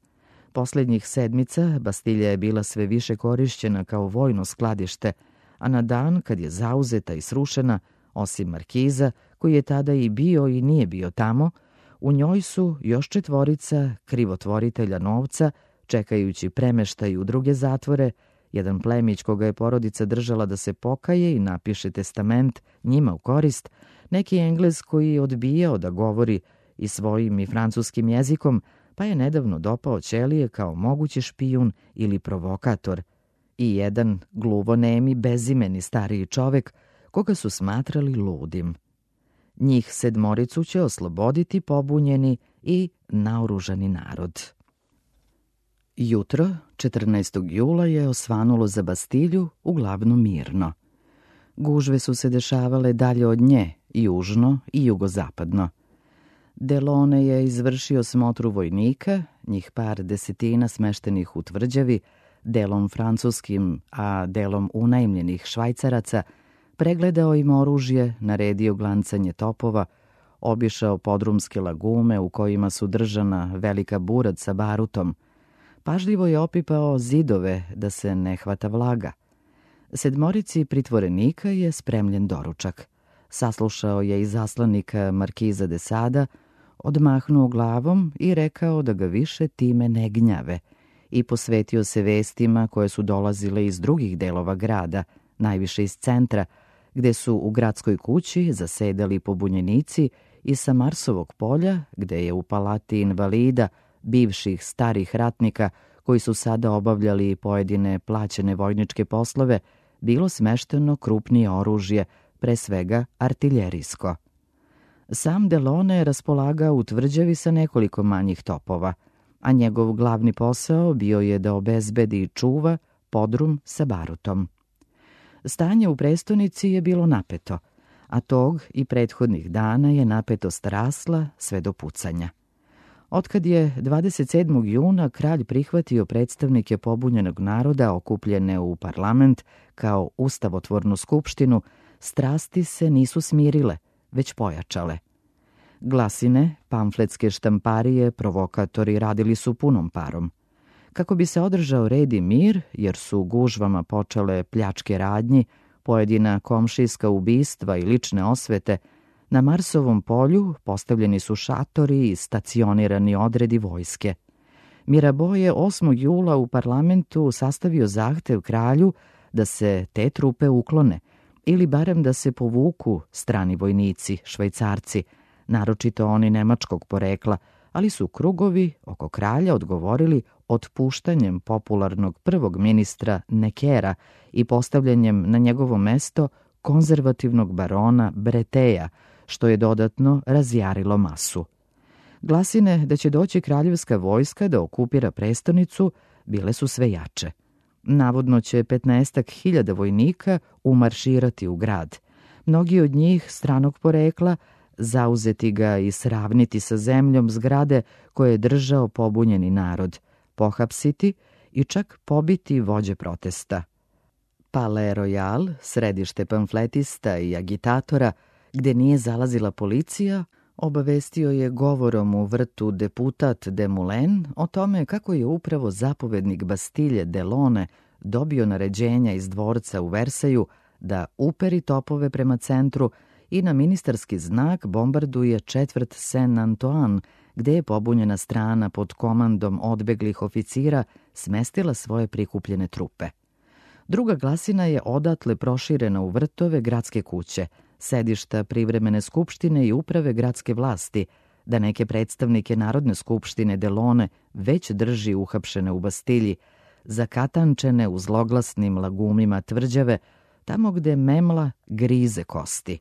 Poslednjih sedmica Bastilja je bila sve više korišćena kao vojno skladište, a na dan kad je zauzeta i srušena, osim markiza, koji je tada i bio i nije bio tamo, u njoj su još 4 krivotvoritelja novca, čekajući premeštaj u druge zatvore, jedan plemić koga je porodica držala da se pokaje i napiše testament njima u korist, neki Englez koji je odbijao da govori i svojim i francuskim jezikom, pa je nedavno dopao ćelije kao mogući špijun ili provokator, i jedan gluvonemi, bezimeni stariji čovek koga su smatrali ludim. Njih 7 će osloboditi pobunjeni i naoružani narod. Jutro, 14. jula, je osvanulo za Bastilju uglavnom mirno. Gužve su se dešavale dalje od nje, južno i jugozapadno. Delone je izvršio smotru vojnika, njih par desetina smeštenih u tvrđavi, delom francuskim, a delom unajmljenih Švajcaraca, pregledao im oružje, naredio glancanje topova, obišao podrumske lagume u kojima su držana velika burad sa barutom. Pažljivo je opipao zidove da se ne hvata vlaga. 7 pritvorenika je spremljen doručak. Saslušao je izaslanika markiza de Sada, odmahnuo glavom i rekao da ga više time ne gnjave i posvetio se vestima koje su dolazile iz drugih delova grada, najviše iz centra, gde su u gradskoj kući zasedali pobunjenici, i sa Marsovog polja, gde je u palati invalida, bivših starih ratnika koji su sada obavljali pojedine plaćene vojničke poslove, bilo smešteno krupnije oružje, pre svega artiljerijsko. Sam Delone je raspolagao u tvrđavi sa nekoliko manjih topova, a njegov glavni posao bio je da obezbedi i čuva podrum sa barutom. Stanje u prestonici je bilo napeto, a tog i prethodnih dana je napetost rasla sve do pucanja. Otkad je 27. juna kralj prihvatio predstavnike pobunjenog naroda okupljene u parlament kao ustavotvornu skupštinu, strasti se nisu smirile, već pojačale. Glasine, pamfletske štamparije, provokatori radili su punom parom. Kako bi se održao red i mir, jer su gužvama počele pljačke radnji, pojedina komšijska ubistva i lične osvete, na Marsovom polju postavljeni su šatori i stacionirani odredi vojske. Mirabeau je 8. jula u parlamentu sastavio zahtev kralju da se te trupe uklone, ili barem da se povuku strani vojnici, Švajcarci, naročito oni nemačkog porekla, ali su krugovi oko kralja odgovorili otpuštanjem popularnog prvog ministra Nekera i postavljanjem na njegovo mesto konzervativnog barona Breteja, što je dodatno razjarilo masu. Glasine da će doći kraljevska vojska da okupira prestonicu bile su sve jače. Navodno će 15.000 vojnika umarširati u grad. Mnogi od njih stranog porekla, zauzeti ga i sravniti sa zemljom zgrade koje je držao pobunjeni narod, pohapsiti i čak pobiti vođe protesta. Palais Royal, središte pamfletista i agitatora, gde nije zalazila policija, Obavestio je govorom u vrtu deputat Desmoulins o tome kako je upravo zapovednik Bastilje Delaune dobio naređenja iz dvorca u Versaju da uperi topove prema centru i na ministarski znak bombarduje četvrt Saint-Antoine, gde je pobunjena strana pod komandom odbeglih oficira smestila svoje prikupljene trupe. Druga glasina je odatle proširena u vrtove gradske kuće, sedišta privremene skupštine i uprave gradske vlasti, da neke predstavnike Narodne skupštine Delaune već drži uhapšene u Bastilji, zakatančene u zloglasnim lagumima tvrđave, tamo gde memla grize kosti.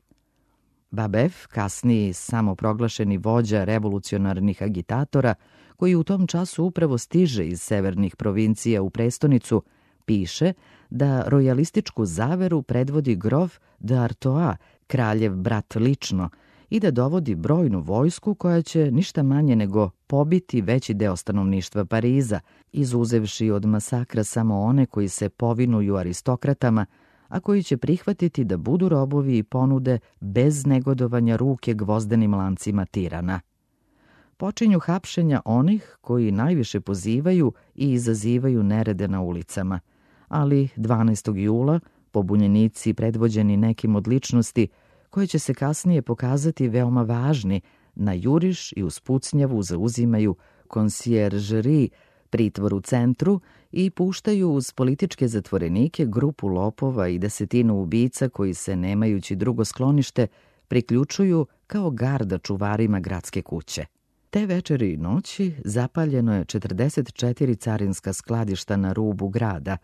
Babef, kasniji samoproglašeni vođa revolucionarnih agitatora, koji u tom času upravo stiže iz severnih provincija u prestonicu, piše da rojalističku zaveru predvodi grof d'Artois, kraljev brat lično, i da dovodi brojnu vojsku koja će ništa manje nego pobiti veći deo stanovništva Pariza, izuzevši od masakra samo one koji se povinuju aristokratama, a koji će prihvatiti da budu robovi i ponude bez negodovanja ruke gvozdenim lancima tirana. Počinju hapšenja onih koji najviše pozivaju i izazivaju nerede na ulicama, ali 12. jula pobunjenici predvođeni nekim od ličnosti koje će se kasnije pokazati veoma važni, na juriš i uz pucnjavu zauzimaju conciergerie, pritvor u centru, i puštaju uz političke zatvorenike grupu lopova i 10 ubica koji se, nemajući drugo sklonište, priključuju kao garda čuvarima gradske kuće. Te večeri i noći zapaljeno je 44 carinska skladišta na rubu grada,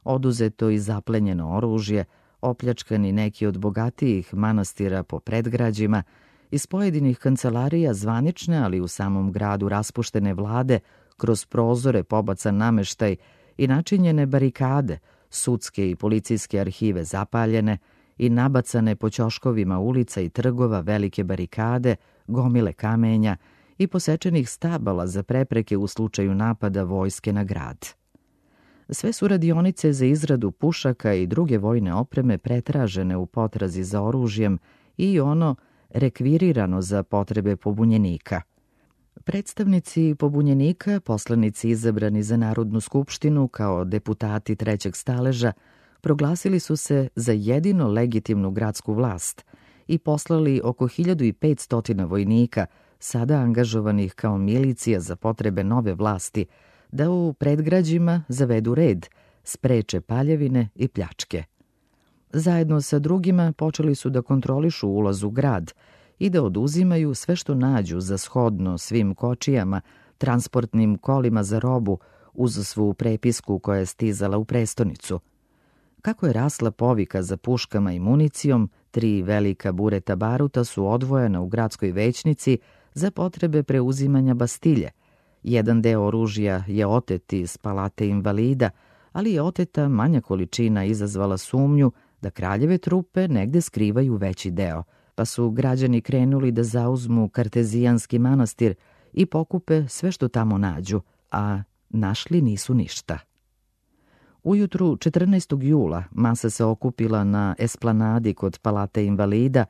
oduzeto i zaplenjeno oružje, opljačkani neki od bogatijih manastira po predgrađima, iz pojedinih kancelarija zvanične, ali u samom gradu raspuštene vlade, kroz prozore pobacan nameštaj i načinjene barikade, sudske i policijske arhive zapaljene i nabacane po ćoškovima ulica i trgova velike barikade, gomile kamenja i posečenih stabala za prepreke u slučaju napada vojske na grad. Sve su radionice za izradu pušaka i druge vojne opreme pretražene u potrazi za oružjem i ono rekvirirano za potrebe pobunjenika. Predstavnici pobunjenika, poslanici izabrani za Narodnu skupštinu kao deputati trećeg staleža, proglasili su se za jedino legitimnu gradsku vlast i poslali oko 1500 vojnika, sada angažovanih kao milicija za potrebe nove vlasti, da u predgrađima zavedu red, spreče paljevine i pljačke. Zajedno sa drugima počeli su da kontrolišu ulaz u grad i da oduzimaju sve što nađu za shodno svim kočijama, transportnim kolima za robu, uz svu prepisku koja je stizala u prestonicu. Kako je rasla povika za puškama i municijom, 3 velika bureta baruta su odvojena u gradskoj većnici za potrebe preuzimanja Bastilje. Jedan deo oružja je otet iz palate invalida, ali je oteta manja količina izazvala sumnju da kraljeve trupe negde skrivaju veći deo, pa su građani krenuli da zauzmu Kartezijanski manastir i pokupe sve što tamo nađu, a našli nisu ništa. Ujutru 14. jula masa se okupila na esplanadi kod palate invalida,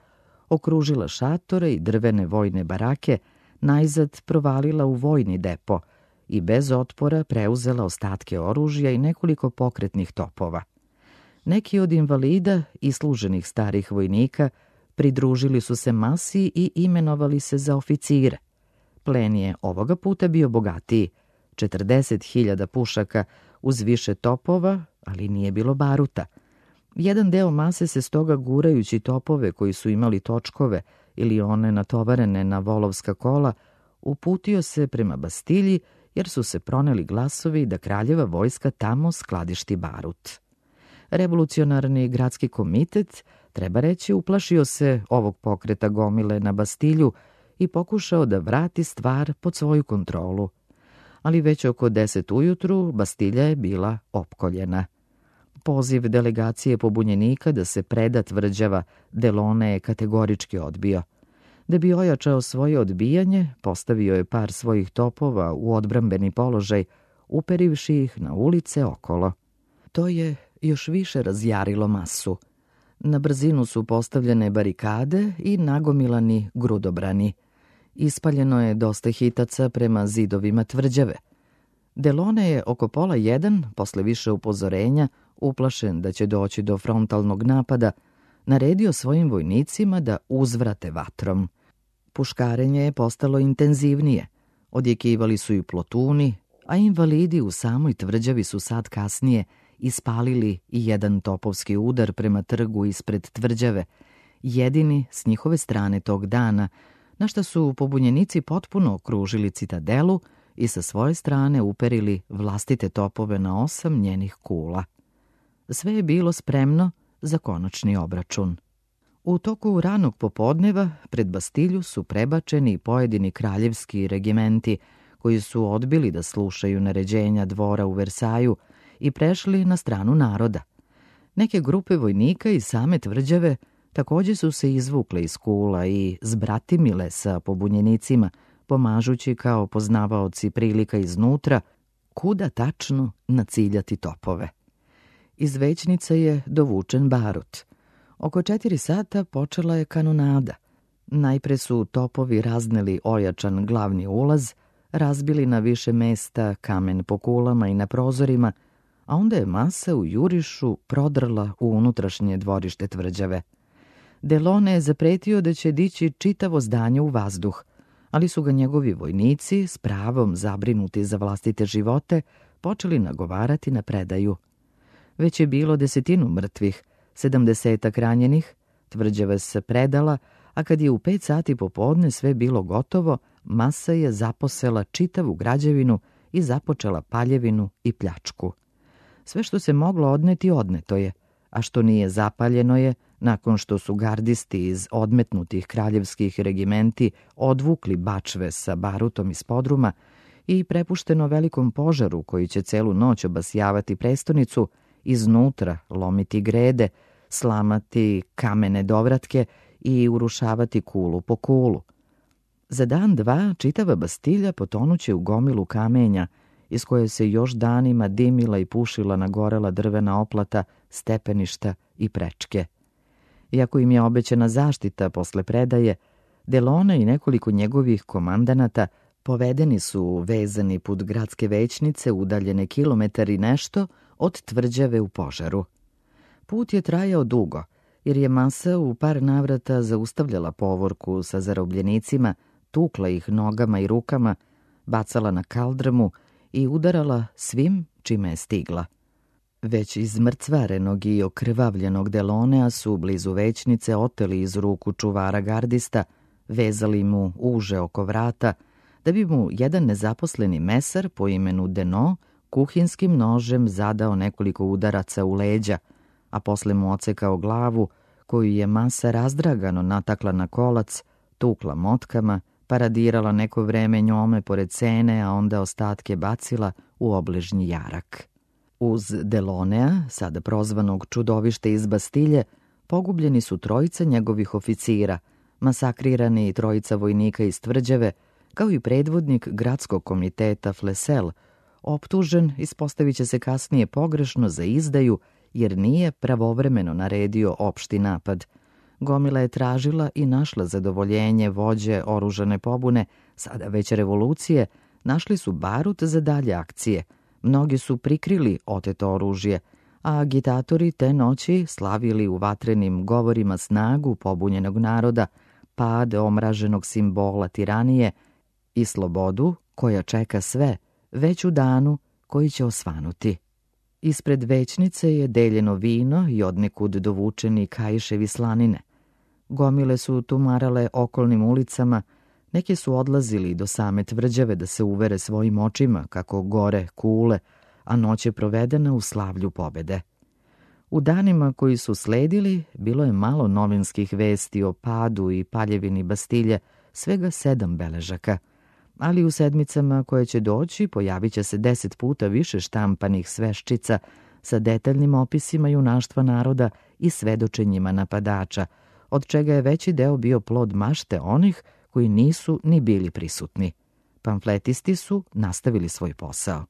okružila šatore i drvene vojne barake, najzad provalila u vojni depo i bez otpora preuzela ostatke oružja i nekoliko pokretnih topova. Neki od invalida i služenih starih vojnika pridružili su se masi i imenovali se za oficire. Plen je ovoga puta bio bogatiji, 40.000 pušaka uz više topova, ali nije bilo baruta. Jedan deo mase se stoga, gurajući topove koji su imali točkove ili one natovarene na volovska kola, uputio se prema Bastilji, jer su se proneli glasovi da kraljeva vojska tamo skladišti barut. Revolucionarni gradski komitet, treba reći, uplašio se ovog pokreta gomile na Bastilju i pokušao da vrati stvar pod svoju kontrolu. Ali već oko 10 ujutru Bastilja je bila opkoljena. Poziv delegacije pobunjenika da se preda tvrđava Delaune je kategorički odbio. Da bi ojačao svoje odbijanje, postavio je par svojih topova u odbrambeni položaj, uperivši ih na ulice okolo. To je još više razjarilo masu. Na brzinu su postavljene barikade i nagomilani grudobrani. Ispaljeno je dosta hitaca prema zidovima tvrđave. Delone je oko 12:30, posle više upozorenja, uplašen da će doći do frontalnog napada, naredio svojim vojnicima da uzvrate vatrom. Puškarenje je postalo intenzivnije, odjekivali su i plotuni, a invalidi u samoj tvrđavi su sad kasnije ispalili i jedan topovski udar prema trgu ispred tvrđave, jedini s njihove strane tog dana, na šta su pobunjenici potpuno okružili citadelu i sa svoje strane uperili vlastite topove na 8 njenih kula. Sve je bilo spremno za konačni obračun. U toku ranog popodneva pred Bastilju su prebačeni pojedini kraljevski regimenti koji su odbili da slušaju naređenja dvora u Versaju i prešli na stranu naroda. Neke grupe vojnika iz same tvrđave također su se izvukle iz kula i zbratimile sa pobunjenicima, pomažući kao poznavaoci prilika iznutra kuda tačno naciljati topove. Iz većnice je dovučen barut. Oko 4 sata počela je kanonada. Najpre su topovi razneli ojačan glavni ulaz, razbili na više mesta kamen po kulama i na prozorima, a onda je masa u jurišu prodrla u unutrašnje dvorište tvrđave. Delone je zapretio da će dići čitavo zdanje u vazduh, ali su ga njegovi vojnici, s pravom zabrinuti za vlastite živote, počeli nagovarati na predaju. Već je bilo 10 mrtvih, 70 ranjenih, tvrđava se predala, a kad je u 5 sati popodne sve bilo gotovo, masa je zaposela čitavu građevinu i započela paljevinu i pljačku. Sve što se moglo odneti, odneto je, a što nije zapaljeno je, nakon što su gardisti iz odmetnutih kraljevskih regimenti odvukli bačve sa barutom iz podruma i prepušteno velikom požaru koji će celu noć obasjavati prestonicu, iznutra lomiti grede, slamati kamene dovratke i urušavati kulu po kulu. Za dan, dva, čitava Bastilja potonuće u gomilu kamenja, iz koje se još danima dimila i pušila nagorela drvena oplata, stepeništa i prečke. Iako im je obećana zaštita posle predaje, Delone i nekoliko njegovih komandanata povedeni su vezani put gradske većnice udaljene kilometar i nešto od tvrđave u požaru. Put je trajao dugo, jer je masa u par navrata zaustavljala povorku sa zarobljenicima, tukla ih nogama i rukama, bacala na kaldrmu i udarala svim čime je stigla. Već izmrcvarenog i okrvavljenog Delonea su blizu većnice oteli iz ruku čuvara gardista, vezali mu uže oko vrata, da bi mu jedan nezaposleni mesar po imenu Deno kuhinskim nožem zadao nekoliko udaraca u leđa, a posle mu ocekao glavu, koju je masa razdragano natakla na kolac, tukla motkama, paradirala neko vreme njome pored cene, a onda ostatke bacila u obližnji jarak. Uz Delonea, sada prozvanog čudovište iz Bastilje, pogubljeni su 3 njegovih oficira, masakrirani i 3 vojnika iz tvrđave, kao i predvodnik gradskog komiteta Flesel, optužen, ispostavit će se kasnije pogrešno za izdaju, jer nije pravovremeno naredio opšti napad. Gomila je tražila i našla zadovoljenje vođe oružane pobune, sada već revolucije, našli su barut za dalje akcije. Mnogi su prikrili oteto oružje, a agitatori te noći slavili u vatrenim govorima snagu pobunjenog naroda, pad omraženog simbola tiranije i slobodu koja čeka sve, već u danu koji će osvanuti. Ispred većnice je deljeno vino i odnekud dovučeni kaiševi slanine. Gomile su tumarale okolnim ulicama, neki su odlazili do same tvrđave da se uvere svojim očima kako gore kule, a noć je provedena u slavlju pobede. U danima koji su sledili, bilo je malo novinskih vesti o padu i paljevini Bastilje, svega 7 beležaka. Ali u sedmicama koje će doći pojavit će se 10 puta više štampanih sveščica sa detaljnim opisima junaštva naroda i svedočenjima napadača, od čega je veći deo bio plod mašte onih koji nisu ni bili prisutni. Pamfletisti su nastavili svoj posao.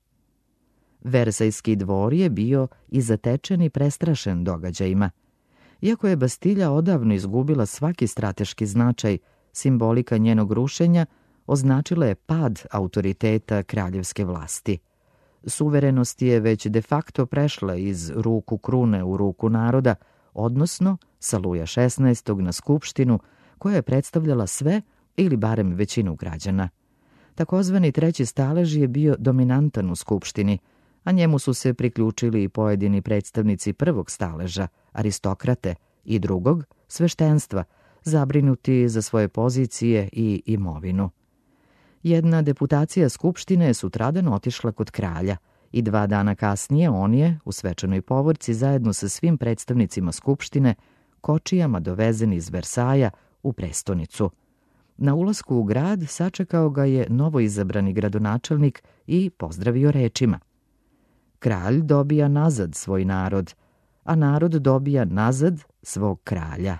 Versajski dvor je bio i zatečen i prestrašen događajima. Iako je Bastilja odavno izgubila svaki strateški značaj, simbolika njenog rušenja, označila je pad autoriteta kraljevske vlasti. Suverenost je već de facto prešla iz ruku krune u ruku naroda, odnosno sa Luja XVI. Na skupštinu, koja je predstavljala sve ili barem većinu građana. Takozvani treći stalež je bio dominantan u skupštini, a njemu su se priključili i pojedini predstavnici prvog staleža, aristokrate, i drugog, sveštenstva, zabrinuti za svoje pozicije i imovinu. Jedna deputacija skupštine je sutradan otišla kod kralja i 2 dana kasnije on je, u svečanoj povorci, zajedno sa svim predstavnicima skupštine, kočijama dovezen iz Versaja u prestonicu. Na ulasku u grad sačekao ga je novoizabrani gradonačelnik i pozdravio rečima: kralj dobija nazad svoj narod, a narod dobija nazad svog kralja.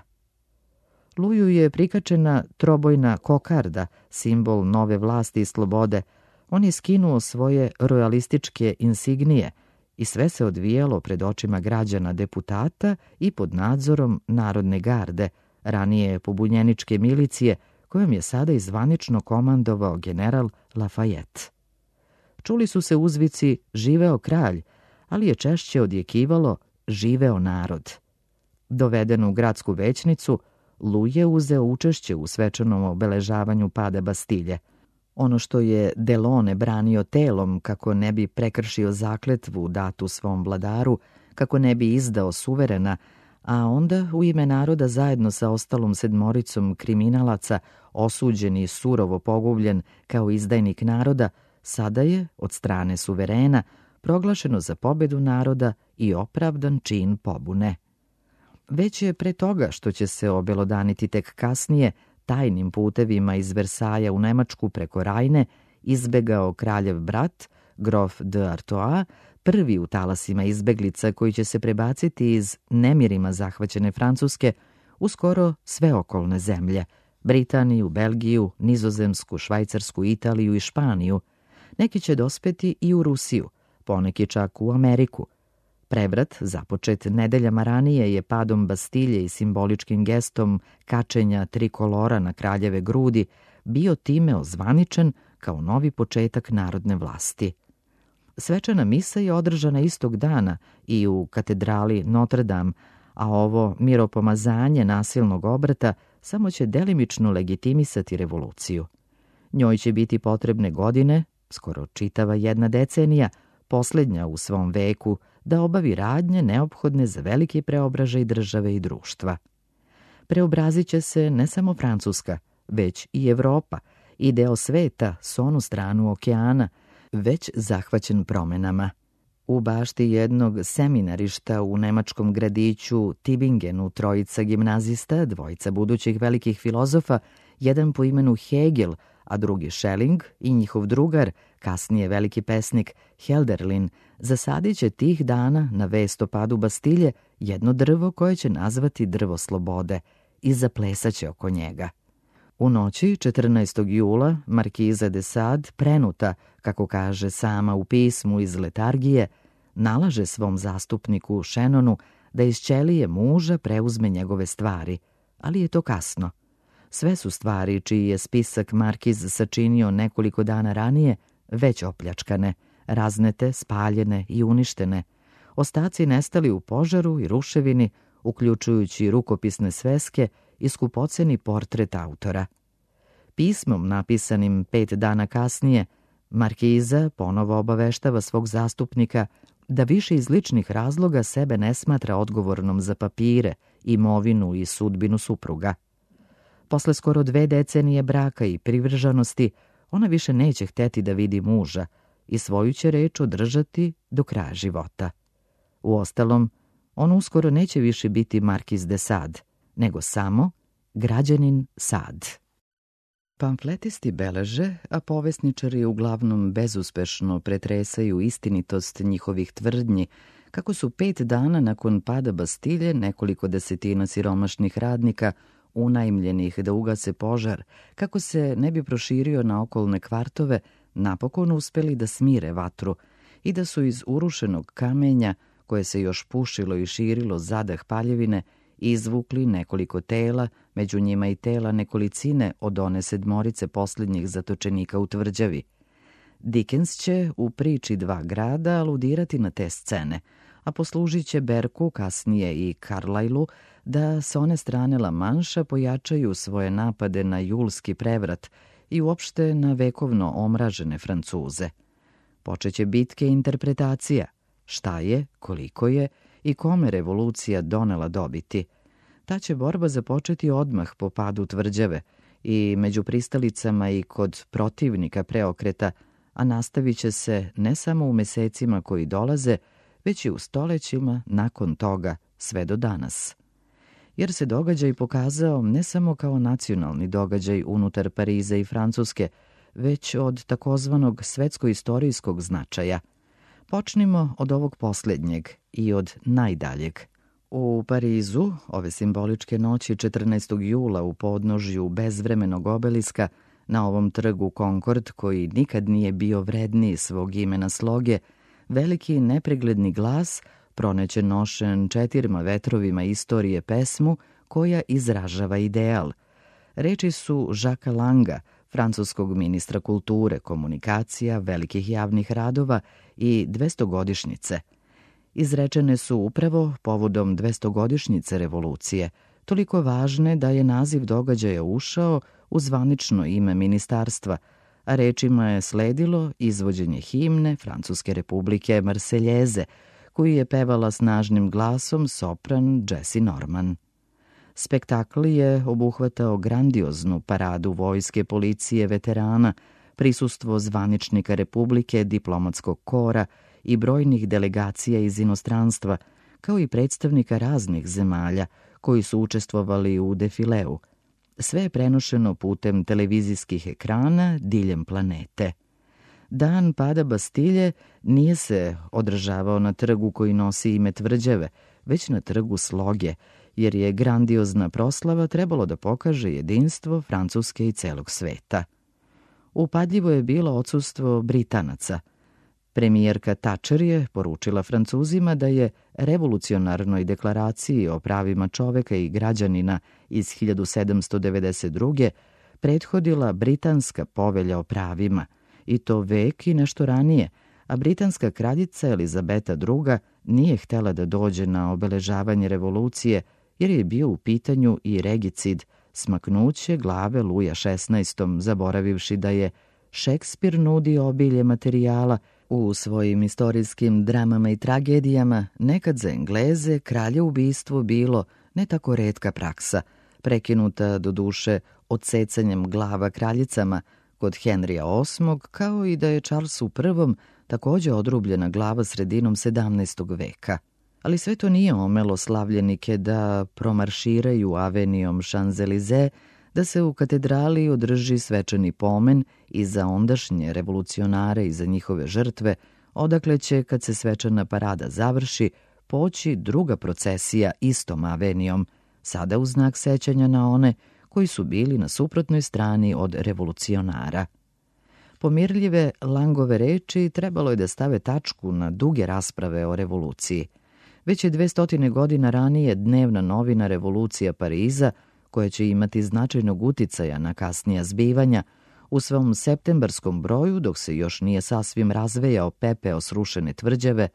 Luju je prikačena trobojna kokarda, simbol nove vlasti i slobode. On je skinuo svoje rojalističke insignije i sve se odvijalo pred očima građana, deputata i pod nadzorom Narodne garde, ranije pobunjeničke milicije, kojom je sada i zvanično komandovao general Lafayette. Čuli su se uzvici živeo kralj, ali je češće odjekivalo živeo narod. Doveden u gradsku većnicu, Lu je uzeo učešće u svečanom obeležavanju pada Bastilje. Ono što je Delone branio telom kako ne bi prekršio zakletvu datu svom vladaru, kako ne bi izdao suverena, a onda u ime naroda zajedno sa ostalom 7 kriminalaca, osuđen i surovo pogubljen kao izdajnik naroda, sada je, od strane suverena, proglašeno za pobedu naroda i opravdan čin pobune. Već je pre toga, što će se obelodaniti tek kasnije, tajnim putevima iz Versaja u Nemačku preko Rajne, izbegao kraljev brat, grof de Artois, prvi u talasima izbeglica koji će se prebaciti iz nemirima zahvaćene Francuske u skoro sve okolne zemlje, Britaniju, Belgiju, Nizozemsku, Švajcarsku, Italiju i Španiju. Neki će dospeti i u Rusiju, poneki čak u Ameriku. Prevrat, započet nedeljama ranije, je padom Bastilje i simboličkim gestom kačenja trikolora na kraljeve grudi bio time ozvaničen kao novi početak narodne vlasti. Svečana misa je održana istog dana i u katedrali Notre Dame, a ovo miropomazanje nasilnog obrata samo će delimično legitimisati revoluciju. Njoj će biti potrebne godine, skoro čitava 1 decenija, posljednja u svom veku, da obavi radnje neophodne za veliki preobražaj države i društva. Preobrazit će se ne samo Francuska, već i Evropa i deo sveta s onu stranu okeana, već zahvaćen promenama. U bašti jednog seminarišta u nemačkom gradiću Tübingenu 3 gimnazista, 2 budućih velikih filozofa, jedan po imenu Hegel, a drugi Schelling i njihov drugar, kasnije veliki pesnik Hölderlin, zasadit će tih dana na vest o padu Bastilje jedno drvo koje će nazvati drvo slobode i zaplesaće oko njega. U noći 14. jula markiza de Sade, prenuta, kako kaže sama u pismu iz letargije, nalaže svom zastupniku Šenonu da iz ćelije muža preuzme njegove stvari, ali je to kasno. Sve su stvari čiji je spisak markiz sačinio nekoliko dana ranije već opljačkane, raznete, spaljene i uništene, ostaci nestali u požaru i ruševini, uključujući rukopisne sveske i skupoceni portret autora. Pismom napisanim 5 dana kasnije, markiza ponovo obaveštava svog zastupnika da više iz ličnih razloga sebe ne smatra odgovornom za papire, imovinu i sudbinu supruga. Posle skoro 2 decenije braka i privržanosti, ona više neće hteti da vidi muža i svoju će reč održati do kraja života. Uostalom, on uskoro neće više biti markiz de Sade, nego samo građanin Sade. Pamfletisti beleže, a povesničari uglavnom bezuspešno pretresaju istinitost njihovih tvrdnji, kako su 5 dana nakon pada Bastilje nekoliko desetina siromašnih radnika unajmljenih da ugase požar, kako se ne bi proširio na okolne kvartove, napokon uspeli da smire vatru i da su iz urušenog kamenja, koje se još pušilo i širilo zadah paljevine, izvukli nekoliko tela, među njima i tela nekolicine od one 7 posljednjih zatočenika u tvrđavi. Dickens će u priči Dva grada aludirati na te scene, a poslužit će Berku, kasnije i Carlylu, da s one strane La Manša pojačaju svoje napade na julski prevrat i uopšte na vekovno omražene Francuze. Počeće bitke interpretacija, šta je, koliko je i kome revolucija donela dobiti. Ta će borba započeti odmah po padu tvrđave i među pristalicama i kod protivnika preokreta, a nastavit će se ne samo u mesecima koji dolaze, već i u stolećima nakon toga sve do danas. Jer se događaj pokazao ne samo kao nacionalni događaj unutar Pariza i Francuske, već od takozvanog svetsko-istorijskog značaja. Počnimo od ovog posljednjeg i od najdaljeg. U Parizu, ove simboličke noći 14. jula u podnožju bezvremenog obeliska, na ovom trgu Concord, koji nikad nije bio vredniji svog imena sloge, veliki nepregledni glas proneće nošen 4 vetrovima istorije pesmu koja izražava ideal. Reči su Jacquesa Langa, francuskog ministra kulture, komunikacija, velikih javnih radova i 200-godišnjice. Izrečene su upravo povodom 200-godišnjice revolucije, toliko važne da je naziv događaja ušao u zvanično ime ministarstva, a rečima je sledilo izvođenje himne Francuske republike Marseljeze, koju je pevala snažnim glasom sopran Jessie Norman. Spektakl je obuhvatao grandioznu paradu vojske, policije, veterana, prisustvo zvaničnika Republike, diplomatskog kora i brojnih delegacija iz inostranstva, kao i predstavnika raznih zemalja koji su učestvovali u defileu. Sve je prenošeno putem televizijskih ekrana diljem planete. Dan pada Bastilje nije se održavao na trgu koji nosi ime tvrđave, već na trgu Sloge, jer je grandiozna proslava trebalo da pokaže jedinstvo Francuske i celog sveta. Upadljivo je bilo odsustvo Britanaca. Premijerka Thatcher je poručila Francuzima da je revolucionarnoj deklaraciji o pravima čoveka i građanina iz 1792. prethodila britanska povelja o pravima, i to vek i nešto ranije, a britanska kraljica Elizabeta II. Nije htela da dođe na obeležavanje revolucije jer je bio u pitanju i regicid, smaknuće glave Luja XVI, zaboravivši da je Šekspir nudi obilje materijala u svojim istorijskim dramama i tragedijama. Nekad za Engleze kralje ubistvo bilo ne tako retka praksa, prekinuta do duše odsecanjem glava kraljicama kod Henrija VIII, kao i da je Charlesu I takođe odrubljena glava sredinom 17. veka. Ali sve to nije omelo slavljenike da promarširaju avenijom Champs-Élysées, da se u katedrali održi svečani pomen i za ondašnje revolucionare i za njihove žrtve, odakle će, kad se svečana parada završi, poći druga procesija istom avenijom, sada u znak sećanja na one koji su bili na suprotnoj strani od revolucionara. Pomirljive Langove reči trebalo je da stave tačku na duge rasprave o revoluciji. Već je 200 godina ranije dnevna novina Revolucija Pariza, koja će imati značajnog uticaja na kasnija zbivanja, u svom septembarskom broju, dok se još nije sasvim razvejao pepeo srušene tvrđave,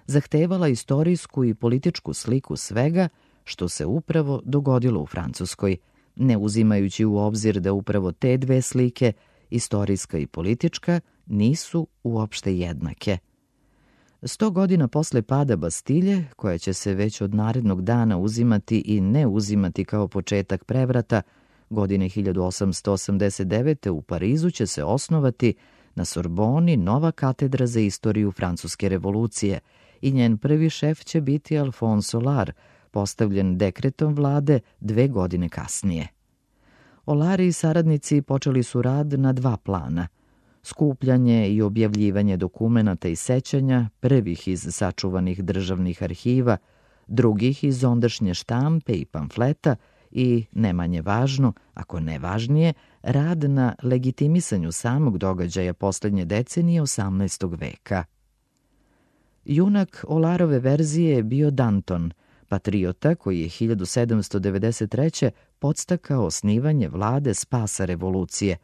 zahtevala istorijsku i političku sliku svega što se upravo dogodilo u Francuskoj, ne uzimajući u obzir da upravo te dve slike, istorijska i politička, nisu uopšte jednake. 100 godina posle pada Bastilje, koja će se već od narednog dana uzimati i ne uzimati kao početak prevrata, godine 1889. u Parizu će se osnovati na Sorboni nova katedra za istoriju Francuske revolucije i njen prvi šef će biti Alphonse Aulard, postavljen dekretom vlade 2 godine kasnije. Aulard i saradnici počeli su rad na 2 plana: skupljanje i objavljivanje dokumenata i sećanja, prvih iz sačuvanih državnih arhiva, drugih iz ondašnje štampe i pamfleta i, ne manje važno, ako ne važnije, rad na legitimisanju samog događaja poslednje decenije 18. veka. Junak Aulardove verzije je bio Danton, patriota koji je 1793. podstakao osnivanje vlade spasa revolucije,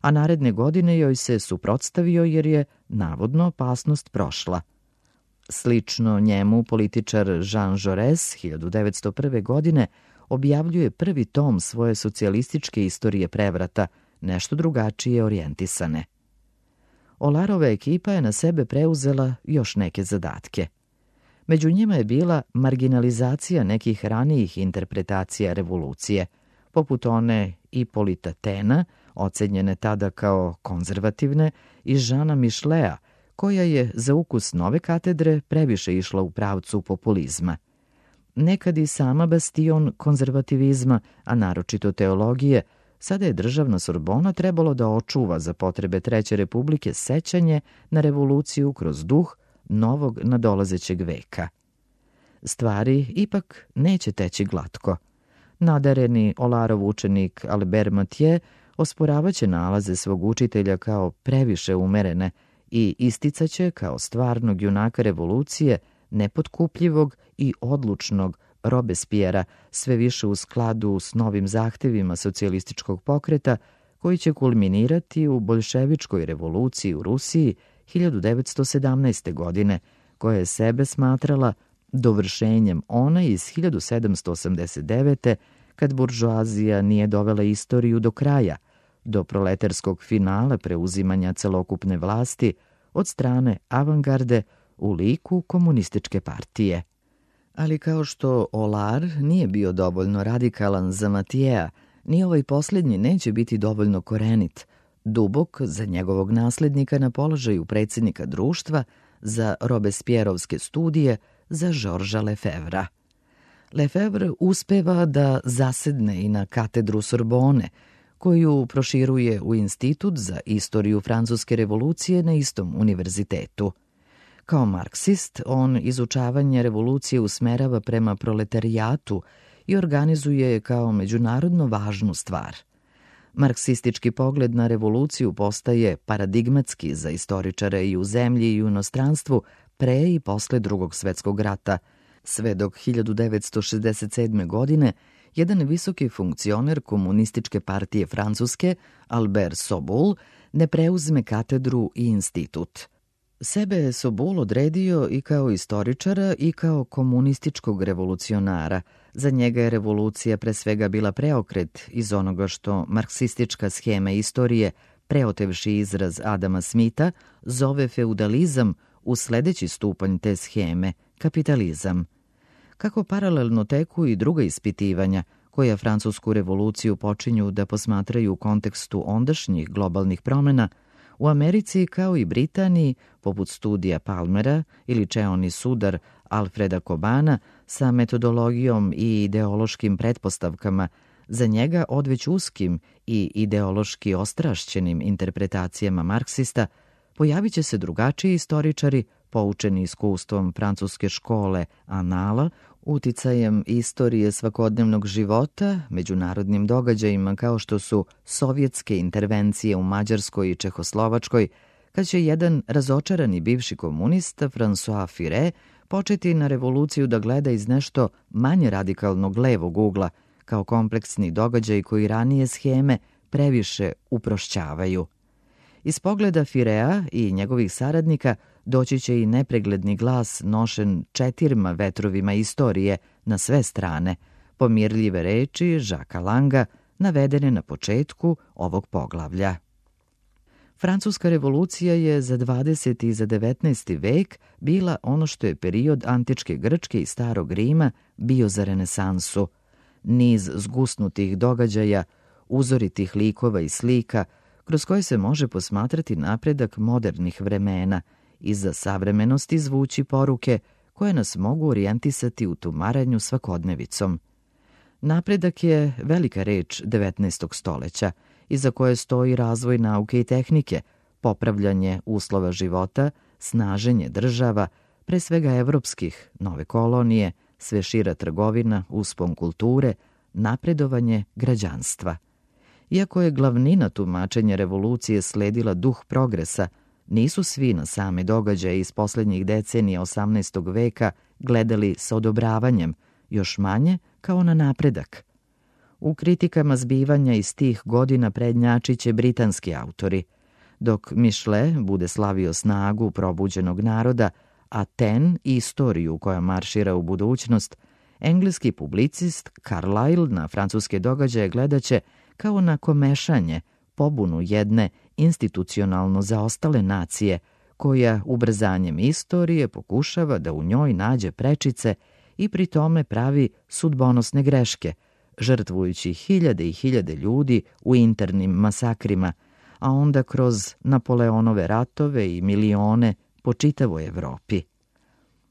a naredne godine joj se suprotstavio jer je, navodno, opasnost prošla. Slično njemu, političar Jean Jaurès 1901. godine objavljuje prvi tom svoje socijalističke istorije prevrata, nešto drugačije orijentisane. Olarova ekipa je na sebe preuzela još neke zadatke. Među njima je bila marginalizacija nekih ranijih interpretacija revolucije, poput one Ipolita Tena, ocenjene tada kao konzervativne, i Žana Mišlea, koja je za ukus nove katedre previše išla u pravcu populizma. Nekad i sama bastion konzervativizma, a naročito teologije, sada je državna Sorbona trebalo da očuva za potrebe Treće republike sećanje na revoluciju kroz duh novog nadolazećeg veka. Stvari ipak neće teći glatko. Nadareni Olarov učenik Albert Mathieu osporavaće nalaze svog učitelja kao previše umerene i isticaće kao stvarnog junaka revolucije, nepotkupljivog i odlučnog Robespiera, sve više u skladu s novim zahtevima socijalističkog pokreta, koji će kulminirati u boljševičkoj revoluciji u Rusiji 1917. godine, koja je sebe smatrala dovršenjem one iz 1789. kad buržoazija nije dovela istoriju do kraja, do proletarskog finala preuzimanja celokupne vlasti od strane avangarde u liku komunističke partije. Ali kao što Olar nije bio dovoljno radikalan za Mathiea, ni ovaj posljednji neće biti dovoljno korenit, dubok za njegovog naslednika na položaju predsjednika društva, za Robespierrovske studije, za Georgesa Lefevra. Lefevre uspeva da zasedne i na katedru Sorbone, koju proširuje u Institut za istoriju Francuske revolucije na istom univerzitetu. Kao marksist, on izučavanje revolucije usmerava prema proletarijatu i organizuje je kao međunarodno važnu stvar. Marksistički pogled na revoluciju postaje paradigmatski za istoričare i u zemlji i u inostranstvu pre i posle Drugog svetskog rata, sve dok 1967. godine jedan visoki funkcioner komunističke partije Francuske, Albert Soboul, ne preuzme katedru i institut. Sebe je Soboul odredio i kao istoričara i kao komunističkog revolucionara. Za njega je revolucija pre svega bila preokret iz onoga što marksistička schema istorije, preotevši izraz Adama Smitha, zove feudalizam u sledeći stupanj te scheme, kapitalizam. Kako paralelno teku i druga ispitivanja, koja Francusku revoluciju počinju da posmatraju u kontekstu ondašnjih globalnih promena, u Americi kao i Britaniji, poput studija Palmera ili Čeoni sudar Alfreda Kobana sa metodologijom i ideološkim pretpostavkama, za njega odveć uskim i ideološki ostrašćenim interpretacijama marksista, pojavit će se drugačiji istoričari, poučeni iskustvom francuske škole Anala, uticajem istorije svakodnevnog života, međunarodnim događajima kao što su sovjetske intervencije u Mađarskoj i Čehoslovačkoj, kad će jedan razočarani bivši komunista, François Furet, početi na revoluciju da gleda iz nešto manje radikalnog levog ugla, kao kompleksni događaj koji ranije scheme previše uprošćavaju. Iz pogleda Furea i njegovih saradnika doći će i nepregledni glas nošen 4 vetrovima istorije na sve strane, pomirljive reči Jacquesa Langa navedene na početku ovog poglavlja. Francuska revolucija je za 20. i za 19. vek bila ono što je period antičke Grčke i starog Rima bio za renesansu. Niz zgusnutih događaja, uzoritih likova i slika, kroz koje se može posmatrati napredak modernih vremena i za savremenost izvući poruke koje nas mogu orijentisati u tumaranju svakodnevicom. Napredak je velika reč 19. stoleća, iza koje stoji razvoj nauke i tehnike, popravljanje uslova života, snaženje država, pre svega evropskih, nove kolonije, sve šira trgovina, uspon kulture, napredovanje građanstva. Iako je glavnina tumačenja revolucije sledila duh progresa, nisu svi na same događaje iz poslednjih decenija 18. veka gledali sa odobravanjem, još manje kao na napredak. U kritikama zbivanja iz tih godina prednjačiće britanski autori, dok Michelet bude slavio snagu probuđenog naroda, a Taine istoriju koja maršira u budućnost, engleski publicist Carlyle na francuske događaje gledaće kao na komešanje, pobunu jedne institucionalno zaostale nacije, koja ubrzanjem istorije pokušava da u njoj nađe prečice i pri tome pravi sudbonosne greške, žrtvujući hiljade i hiljade ljudi u internim masakrima, a onda kroz Napoleonove ratove i milione po čitavoj Evropi.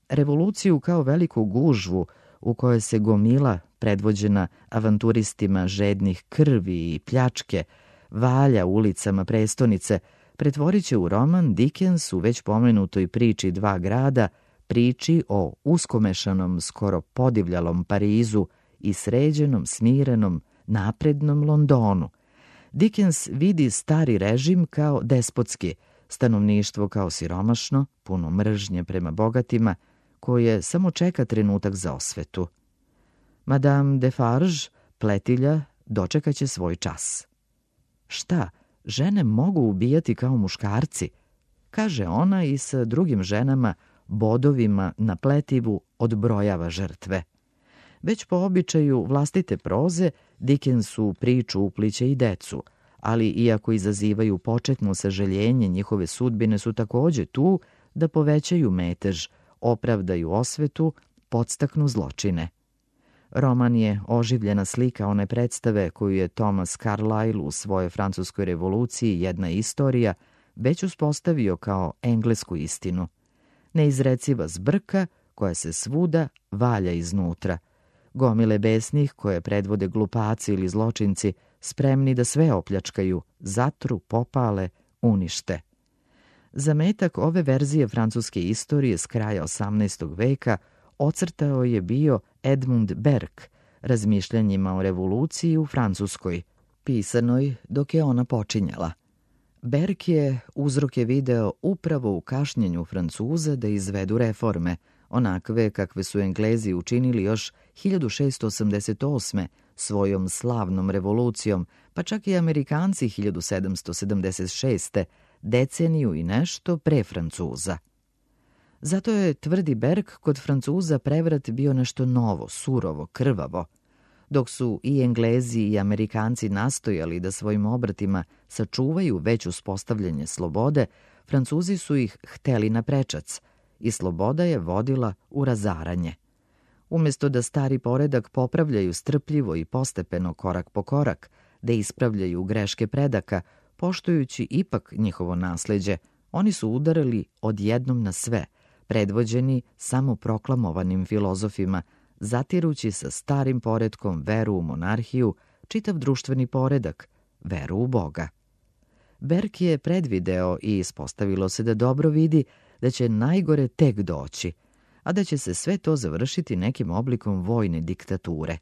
Revoluciju kao veliku gužvu u kojoj se gomila, predvođena avanturistima žednih krvi i pljačke, valja ulicama prestonice, pretvorit će u roman Dickens u već pomenutoj priči Dva grada, priči o uskomešanom, skoro podivljalom Parizu i sređenom, smirenom, naprednom Londonu. Dickens vidi stari režim kao despotski, stanovništvo kao siromašno, puno mržnje prema bogatima, koje samo čeka trenutak za osvetu. Madame Defarge, pletilja, dočekaće svoj čas. Šta, žene mogu ubijati kao muškarci? Kaže ona i sa drugim ženama bodovima na pletivu odbrojava žrtve. Već po običaju vlastite proze, Dickens u priču upliće i decu, ali iako izazivaju početno sažaljenje, njihove sudbine su takođe tu da povećaju metež, opravdaju osvetu, podstaknu zločine. Roman je oživljena slika one predstave koju je Thomas Carlyle u svojoj Francuskoj revoluciji Jedna istorija već uspostavio kao englesku istinu. Neizreciva zbrka koja se svuda valja iznutra. Gomile besnih koje predvode glupaci ili zločinci spremni da sve opljačkaju, zatru, popale, unište. Zametak ove verzije francuske istorije s kraja 18. veka ocrtao je bio Edmund Burke razmišljanjima o revoluciji u Francuskoj, pisanoj dok je ona počinjala. Burke je uzroke video upravo u kašnjenju Francuza da izvedu reforme, onakve kakve su Englezi učinili još 1688. svojom slavnom revolucijom, pa čak i Amerikanci 1776. deceniju i nešto pre Francuza. Zato je, tvrdi Burke, kod Francuza prevrat bio nešto novo, surovo, krvavo. Dok su i Englezi i Amerikanci nastojali da svojim obratima sačuvaju već uspostavljanje slobode, Francuzi su ih hteli na prečac i sloboda je vodila u razaranje. Umjesto da stari poredak popravljaju strpljivo i postepeno korak po korak, da ispravljaju greške predaka, poštujući ipak njihovo nasleđe, oni su udarali odjednom na sve, predvođeni samo proklamovanim filozofima, zatirući sa starim poretkom veru u monarhiju, čitav društveni poredak, veru u Boga. Burke je predvideo i ispostavilo se da dobro vidi da će najgore tek doći, a da će se sve to završiti nekim oblikom vojne diktature.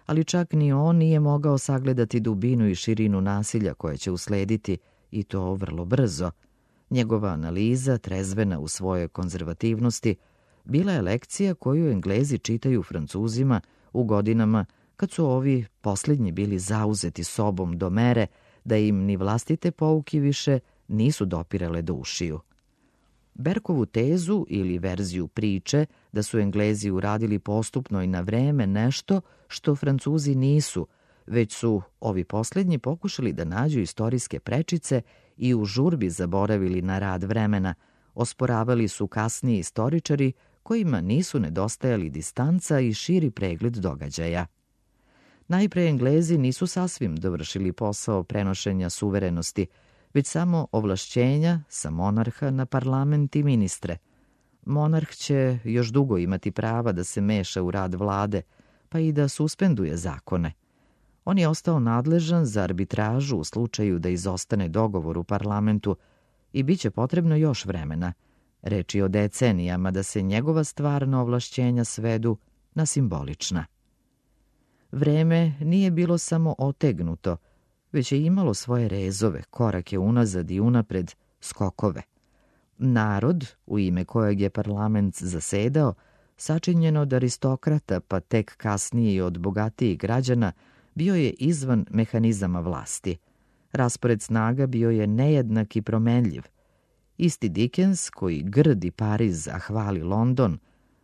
Ali čak ni on nije mogao sagledati dubinu i širinu nasilja koje će uslediti, i to vrlo brzo. Njegova analiza, trezvena u svojoj konzervativnosti, bila je lekcija koju Englezi čitaju Francuzima u godinama kad su ovi posljednji bili zauzeti sobom do mere da im ni vlastite pouke više nisu dopirale do ušiju. Burkeovu tezu ili verziju priče da su Englezi uradili postupno i na vreme nešto što Francuzi nisu, već su ovi posljednji pokušali da nađu istorijske prečice i u žurbi zaboravili na rad vremena, osporavali su kasniji istoričari kojima nisu nedostajali distanca i širi pregled događaja. Najpre Englezi nisu sasvim dovršili posao prenošenja suverenosti, već samo ovlašćenja sa monarha na parlament i ministre. Monarh će još dugo imati prava da se meša u rad vlade, pa i da suspenduje zakone. On je ostao nadležan za arbitražu u slučaju da izostane dogovor u parlamentu i bit će potrebno još vremena. Reč je o decenijama da se njegova stvarna ovlašćenja svedu na simbolična. Vreme nije bilo samo otegnuto, već je imalo svoje rezove, korake unazad i unapred, skokove. Narod, u ime kojeg je parlament zasedao, sačinjen od aristokrata pa tek kasnije i od bogatijih građana, bio je izvan mehanizama vlasti. Raspored snaga bio je nejednak i promenljiv. Isti Dickens, koji grdi Pariz, a hvali London,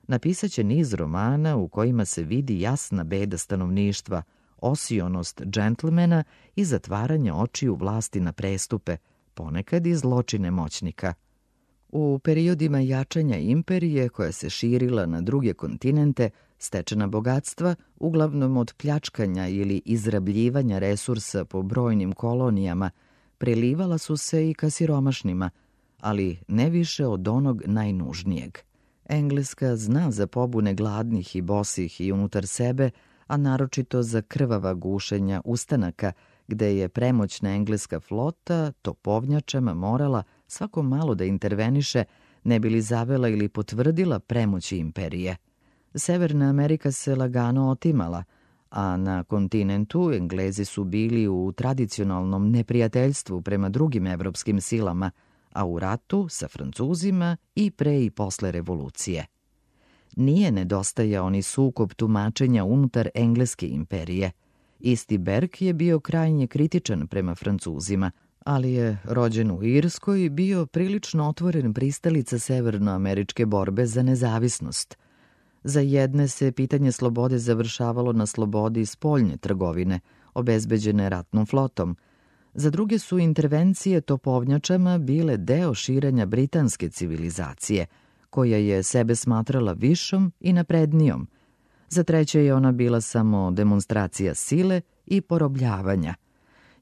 napisaće niz romana u kojima se vidi jasna beda stanovništva, osionost džentlmena i zatvaranje očiju vlasti na prestupe, ponekad i zločine moćnika. U periodima jačanja imperije, koja se širila na druge kontinente, stečena bogatstva, uglavnom od pljačkanja ili izrabljivanja resursa po brojnim kolonijama, prelivala su se i ka siromašnima, ali ne više od onog najnužnijeg. Engleska zna za pobune gladnih i bosih i unutar sebe, a naročito za krvava gušenja ustanaka, gde je premoćna engleska flota topovnjačama morala svako malo da interveniše, ne bi li zavela ili potvrdila premoći imperije. Severna Amerika se lagano otimala, a na kontinentu Englezi su bili u tradicionalnom neprijateljstvu prema drugim evropskim silama, a u ratu sa Francuzima i pre i posle revolucije. Nije nedostajao ni sukob tumačenja unutar engleske imperije. Isti Berg je bio krajnje kritičan prema Francuzima, ali je, rođen u Irskoj, bio prilično otvoren pristalica severnoameričke borbe za nezavisnost. Za jedne se pitanje slobode završavalo na slobodi spoljne trgovine, obezbeđene ratnom flotom. Za druge su intervencije topovnjačama bile deo širenja britanske civilizacije, koja je sebe smatrala višom i naprednijom. Za treće je ona bila samo demonstracija sile i porobljavanja.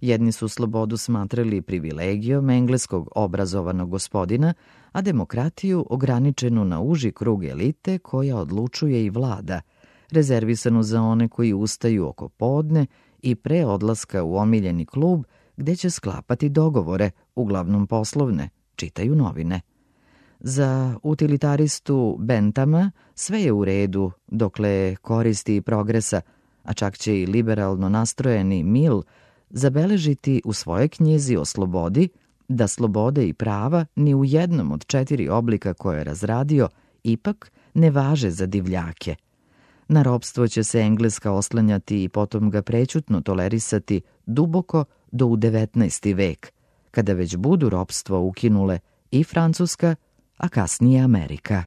Jedni su slobodu smatrali privilegijom engleskog obrazovanog gospodina, a demokratiju ograničenu na uži krug elite koja odlučuje i vlada, rezervisanu za one koji ustaju oko podne i pre odlaska u omiljeni klub gde će sklapati dogovore, uglavnom poslovne, čitaju novine. Za utilitaristu Benthama sve je u redu dokle koristi i progresa, a čak će i liberalno nastrojeni Mill zabeležiti u svojoj knjizi o slobodi da slobode i prava ni u jednom od 4 oblika koje je razradio ipak ne važe za divljake. Na ropstvo će se Engleska oslanjati i potom ga prećutno tolerisati duboko do u 19. vek, kada već budu ropstvo ukinule i Francuska, a kasnije Amerika.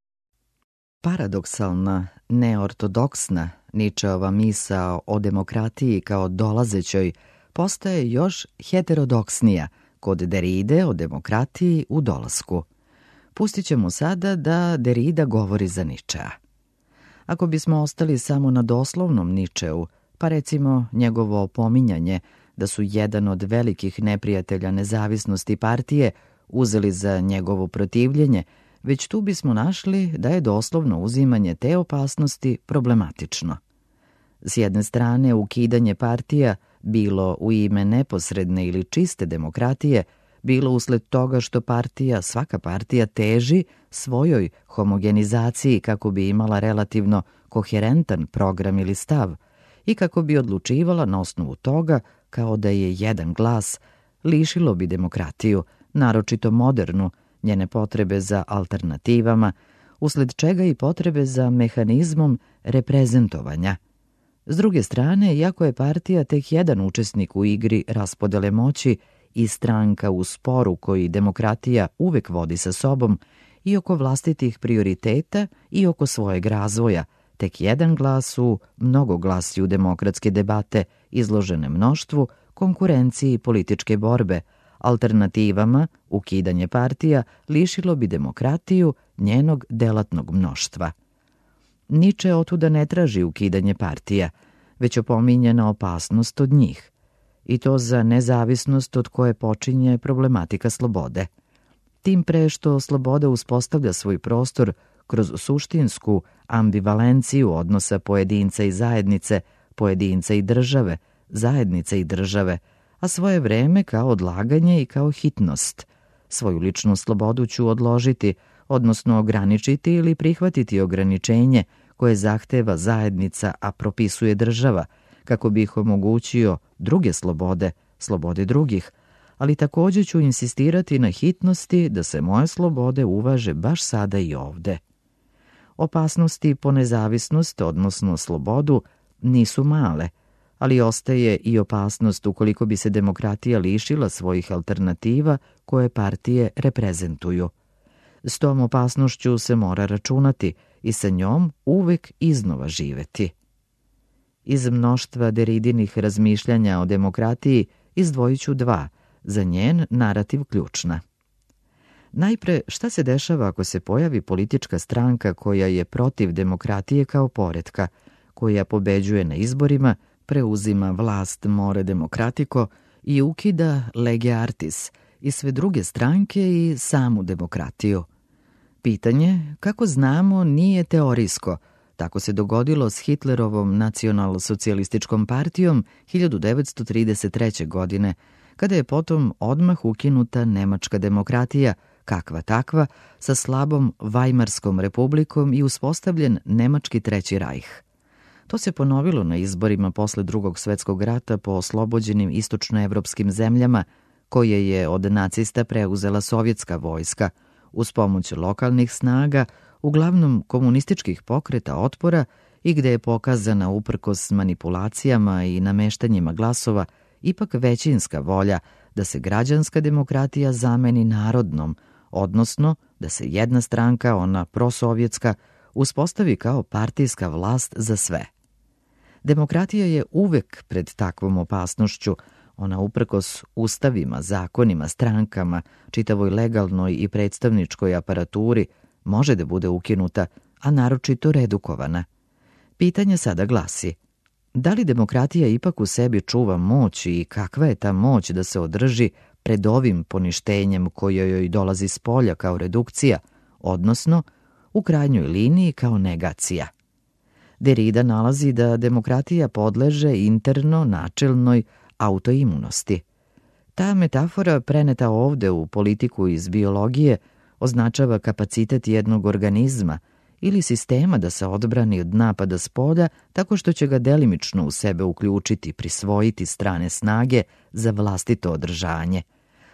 Paradoksalna, neortodoksna Ničeova misao o demokratiji kao dolazećoj postaje još heterodoksnija kod Derride o demokratiji u dolasku. Pustit ćemo sada da Derrida govori za Ničea. Ako bismo ostali samo na doslovnom Ničeu, pa recimo njegovo opominjanje da su jedan od velikih neprijatelja nezavisnosti partije uzeli za njegovo protivljenje, već tu bismo našli da je doslovno uzimanje te opasnosti problematično. S jedne strane, ukidanje partija, bilo u ime neposredne ili čiste demokratije, bilo usled toga što svaka partija teži svojoj homogenizaciji kako bi imala relativno koherentan program ili stav i kako bi odlučivala na osnovu toga kao da je jedan glas, lišilo bi demokratiju, naročito modernu, njene potrebe za alternativama, usled čega i potrebe za mehanizmom reprezentovanja. S druge strane, iako je partija tek jedan učesnik u igri raspodele moći i stranka u sporu koji demokratija uvek vodi sa sobom i oko vlastitih prioriteta i oko svojeg razvoja, tek jedan glas u mnogoglasju demokratske debate izložene mnoštvu, konkurenciji političke borbe, alternativama, ukidanje partija lišilo bi demokratiju njenog delatnog mnoštva. Niče otuda ne traži ukidanje partija, već opominje na opasnost od njih, i to za nezavisnost od koje počinje problematika slobode. Tim pre što sloboda uspostavlja svoj prostor kroz suštinsku ambivalenciju odnosa pojedinca i zajednice, pojedinca i države, zajednice i države, a svoje vreme kao odlaganje i kao hitnost. Svoju ličnu slobodu ću odložiti, odnosno ograničiti ili prihvatiti ograničenje koje zahteva zajednica, a propisuje država, kako bi ih omogućio druge slobode, slobode drugih, ali također ću insistirati na hitnosti da se moje slobode uvaže baš sada i ovde. Opasnosti po nezavisnost, odnosno slobodu, nisu male, ali ostaje i opasnost ukoliko bi se demokratija lišila svojih alternativa koje partije reprezentuju. S tom opasnošću se mora računati i sa njom uvek iznova živeti. Iz mnoštva Deridinih razmišljanja o demokratiji izdvojit ću dva, za njen narativ ključna. Najpre, šta se dešava ako se pojavi politička stranka koja je protiv demokratije kao poretka, koja pobeđuje na izborima, preuzima vlast more demokratiko i ukida lege artis i sve druge stranke i samu demokratiju. Pitanje, kako znamo, nije teorijsko. Tako se dogodilo s Hitlerovom nacionalsocijalističkom partijom 1933. godine, kada je potom odmah ukinuta nemačka demokratija, kakva takva, sa slabom Vajmarskom republikom i uspostavljen nemački Treći rajh. To se ponovilo na izborima posle Drugog svetskog rata po oslobođenim istočnoevropskim zemljama, koje je od nacista preuzela sovjetska vojska, uz pomoć lokalnih snaga, uglavnom komunističkih pokreta otpora i gde je pokazana uprkos manipulacijama i nameštanjima glasova ipak većinska volja da se građanska demokratija zameni narodnom, odnosno da se jedna stranka, ona prosovjetska, uspostavi kao partijska vlast za sve. Demokratija je uvek pred takvom opasnošću, ona uprkos ustavima, zakonima, strankama, čitavoj legalnoj i predstavničkoj aparaturi, može da bude ukinuta, a naročito redukovana. Pitanje sada glasi: da li demokratija ipak u sebi čuva moć i kakva je ta moć da se održi pred ovim poništenjem koje joj dolazi s polja kao redukcija, odnosno u krajnjoj liniji kao negacija? Derrida nalazi da demokratija podleže interno načelnoj autoimunosti. Ta metafora, preneta ovde u politiku iz biologije, označava kapacitet jednog organizma ili sistema da se odbrani od napada spolja tako što će ga delimično u sebe uključiti, prisvojiti strane snage za vlastito održanje.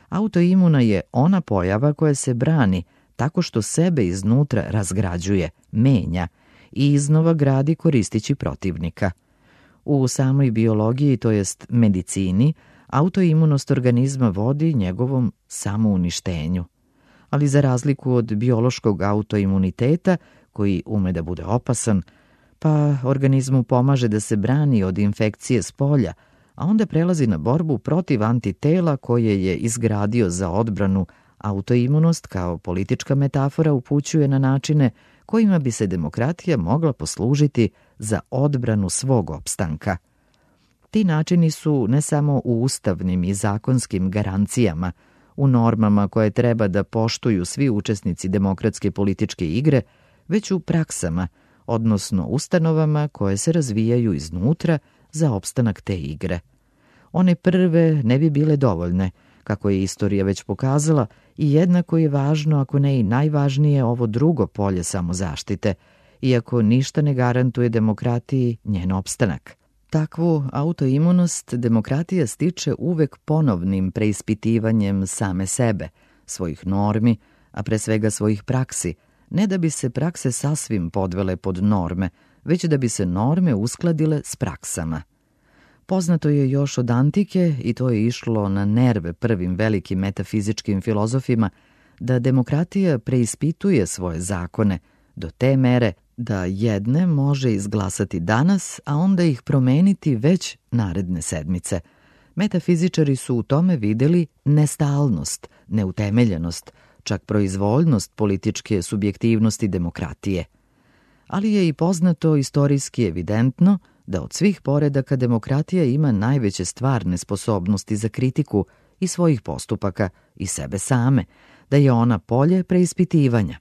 Autoimuna je ona pojava koja se brani tako što sebe iznutra razgrađuje, menja i iznova gradi koristići protivnika. U samoj biologiji, to jest medicini, autoimunost organizma vodi njegovom samouništenju. Ali za razliku od biološkog autoimuniteta, koji ume da bude opasan, pa organizmu pomaže da se brani od infekcije s polja, a onda prelazi na borbu protiv antitela koje je izgradio za odbranu, autoimunost kao politička metafora upućuje na načine kojima bi se demokratija mogla poslužiti za odbranu svog opstanka. Ti načini su ne samo u ustavnim i zakonskim garancijama, u normama koje treba da poštuju svi učesnici demokratske političke igre, već u praksama, odnosno ustanovama koje se razvijaju iznutra za opstanak te igre. One prve ne bi bile dovoljne, kako je istorija već pokazala, i jednako je važno, ako ne i najvažnije, ovo drugo polje samozaštite, iako ništa ne garantuje demokratiji njen opstanak. Takvu autoimunost demokratija stiče uvek ponovnim preispitivanjem same sebe, svojih normi, a pre svega svojih praksi, ne da bi se prakse sasvim podvele pod norme, već da bi se norme uskladile s praksama. Poznato je još od antike, i to je išlo na nerve prvim velikim metafizičkim filozofima, da demokratija preispituje svoje zakone do te mere da jedne može izglasati danas, a onda ih promeniti već naredne sedmice. Metafizičari su u tome videli nestalnost, neutemeljenost, čak proizvoljnost političke subjektivnosti demokratije. Ali je i poznato, istorijski evidentno, da od svih poredaka demokratija ima najveće stvarne sposobnosti za kritiku i svojih postupaka i sebe same, da je ona polje preispitivanja.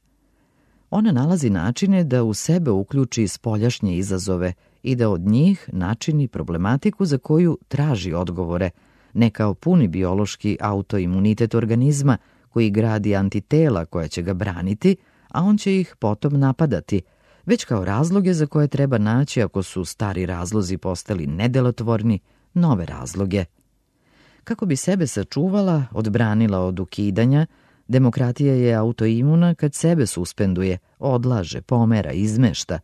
Ona nalazi načine da u sebe uključi spoljašnje izazove i da od njih načini problematiku za koju traži odgovore, ne kao puni biološki autoimunitet organizma koji gradi antitela koja će ga braniti, a on će ih potom napadati, već kao razloge za koje treba naći, ako su stari razlozi postali nedelotvorni, nove razloge. Kako bi sebe sačuvala, odbranila od ukidanja, Demokratija je autoimuna kad sebe suspenduje, odlaže, pomera, izmešta.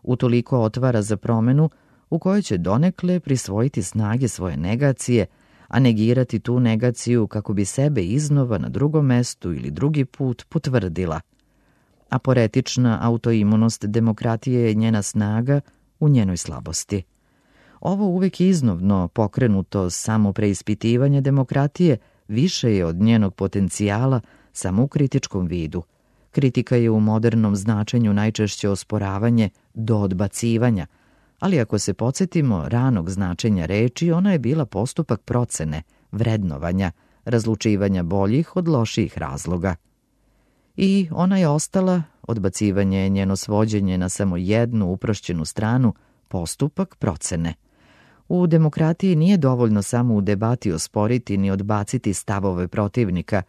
Utoliko otvara za promenu u kojoj će donekle prisvojiti snage svoje negacije, a negirati tu negaciju kako bi sebe iznova na drugom mestu ili drugi put potvrdila. Aporetična autoimunost demokratije je njena snaga u njenoj slabosti. Ovo uvek iznova pokrenuto samopreispitivanje demokratije više je od njenog potencijala samo u kritičkom vidu. Kritika je u modernom značenju najčešće osporavanje do odbacivanja, ali ako se podsjetimo ranog značenja reči, ona je bila postupak procene, vrednovanja, razlučivanja boljih od lošijih razloga. I ona je ostala, odbacivanje je njeno svođenje na samo jednu uprošćenu stranu, postupak procene. U demokratiji nije dovoljno samo u debati osporiti ni odbaciti stavove protivnika,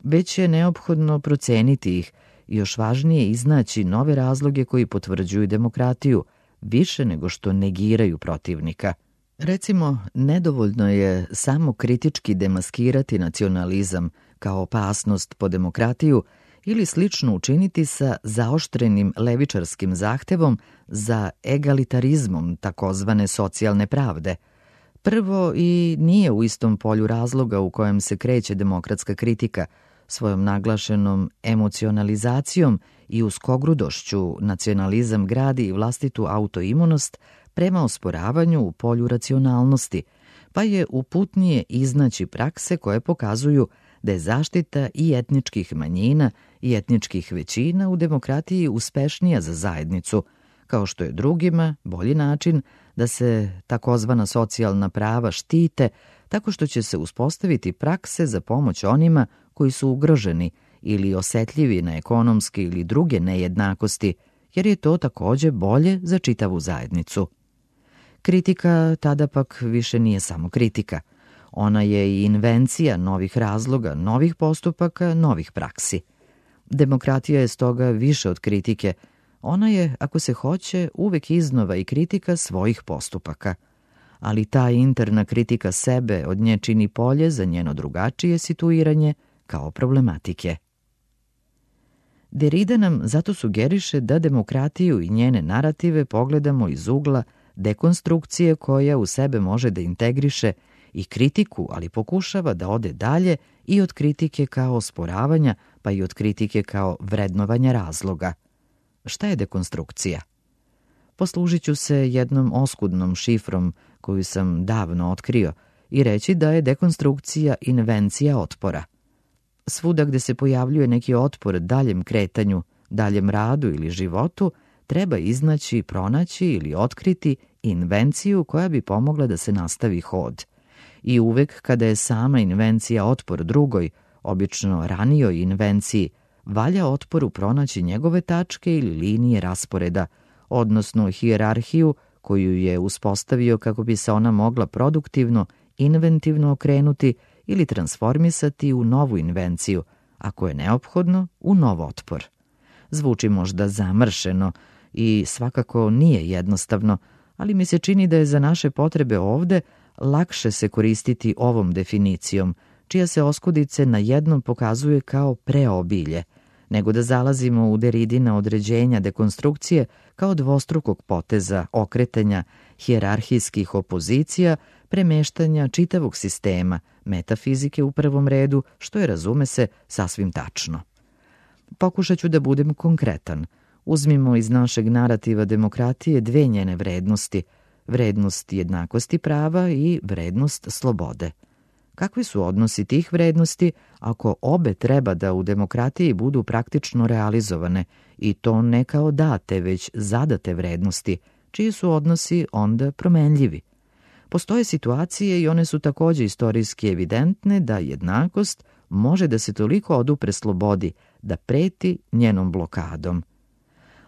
već je neophodno proceniti ih i još važnije iznaći nove razloge koji potvrđuju demokratiju, više nego što negiraju protivnika. Recimo, nedovoljno je samo kritički demaskirati nacionalizam kao opasnost po demokratiju ili slično učiniti sa zaoštrenim levičarskim zahtevom za egalitarizmom takozvane socijalne pravde. Prvo, i nije u istom polju razloga u kojem se kreće demokratska kritika, svojom naglašenom emocionalizacijom i uskogrudošću nacionalizam gradi i vlastitu autoimunost prema osporavanju u polju racionalnosti, pa je uputnije iznaći prakse koje pokazuju da je zaštita i etničkih manjina i etničkih većina u demokratiji uspešnija za zajednicu, kao što je drugima bolji način da se takozvana socijalna prava štite tako što će se uspostaviti prakse za pomoć onima koji su ugroženi ili osetljivi na ekonomske ili druge nejednakosti, jer je to takođe bolje za čitavu zajednicu. Kritika tada pak više nije samo kritika. Ona je i invencija novih razloga, novih postupaka, novih praksi. Demokratija je stoga više od kritike. Ona je, ako se hoće, uvek iznova i kritika svojih postupaka. Ali ta interna kritika sebe od nje čini polje za njeno drugačije situiranje kao problematike. Derrida nam zato sugeriše da demokratiju i njene narative pogledamo iz ugla dekonstrukcije koja u sebe može da integriše i kritiku, ali pokušava da ode dalje i od kritike kao osporavanja, pa i od kritike kao vrednovanja razloga. Šta je dekonstrukcija? Poslužit ću se jednom oskudnom šifrom koju sam davno otkrio i reći da je dekonstrukcija invencija otpora. Svuda gde se pojavljuje neki otpor daljem kretanju, daljem radu ili životu, treba iznaći, pronaći ili otkriti invenciju koja bi pomogla da se nastavi hod. I uvek kada je sama invencija otpor drugoj, obično ranijoj invenciji, valja otporu pronaći njegove tačke ili linije rasporeda, odnosno hijerarhiju koju je uspostavio kako bi se ona mogla produktivno, inventivno okrenuti ili transformisati u novu invenciju, ako je neophodno, u nov otpor. Zvuči možda zamršeno i svakako nije jednostavno, ali mi se čini da je za naše potrebe ovde lakše se koristiti ovom definicijom, čija se oskudice na jednom pokazuje kao preobilje, nego da zalazimo u Derridina određenja dekonstrukcije kao dvostrukog poteza, okretanja, hijerarhijskih opozicija, premeštanja čitavog sistema, metafizike u prvom redu, što je, razume se, sasvim tačno. Pokušat ću da budem konkretan. Uzmimo iz našeg narativa demokratije dve njene vrednosti, vrednost jednakosti prava i vrednost slobode. Kakvi su odnosi tih vrednosti ako obe treba da u demokratiji budu praktično realizovane i to ne kao date, već zadate vrednosti, čiji su odnosi onda promenljivi? Postoje situacije i one su takođe istorijski evidentne da jednakost može da se toliko odupre slobodi da preti njenom blokadom.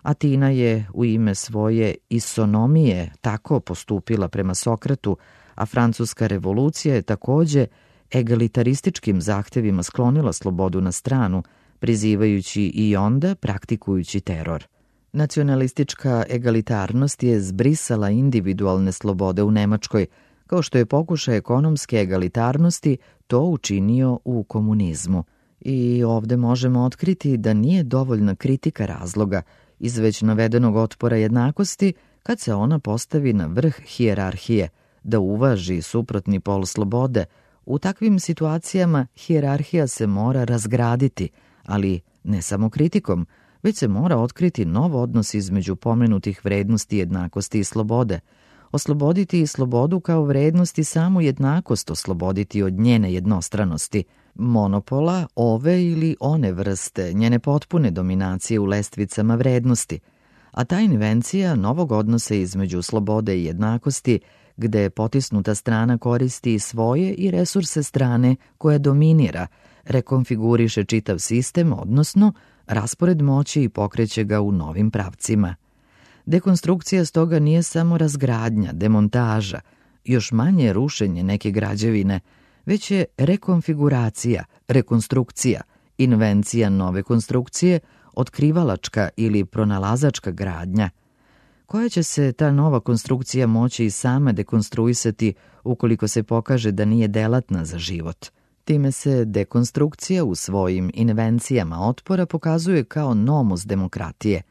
Atina je u ime svoje isonomije tako postupila prema Sokratu, a Francuska revolucija je takođe egalitarističkim zahtevima sklonila slobodu na stranu, prizivajući i onda praktikujući teror. Nacionalistička egalitarnost je zbrisala individualne slobode u Nemačkoj, kao što je pokušaj ekonomske egalitarnosti to učinio u komunizmu. I ovde možemo otkriti da nije dovoljna kritika razloga iz već navedenog otpora jednakosti kad se ona postavi na vrh hijerarhije, da uvaži suprotni pol slobode. U takvim situacijama hijerarhija se mora razgraditi, ali ne samo kritikom, već se mora otkriti nov odnos između pomenutih vrednosti jednakosti i slobode. Osloboditi i slobodu kao vrednost i samu jednakost osloboditi od njene jednostranosti, monopola ove ili one vrste, njene potpune dominacije u lestvicama vrednosti. A ta invencija novog odnosa između slobode i jednakosti, gde potisnuta strana koristi svoje i resurse strane koja dominira, rekonfiguriše čitav sistem, odnosno raspored moći i pokreće ga u novim pravcima. Dekonstrukcija stoga nije samo razgradnja, demontaža, još manje rušenje neke građevine, već je rekonfiguracija, rekonstrukcija, invencija nove konstrukcije, otkrivalačka ili pronalazačka gradnja. Koja će se ta nova konstrukcija moći i sama dekonstruisati ukoliko se pokaže da nije delatna za život? Time se dekonstrukcija u svojim invencijama otpora pokazuje kao nomus demokratije.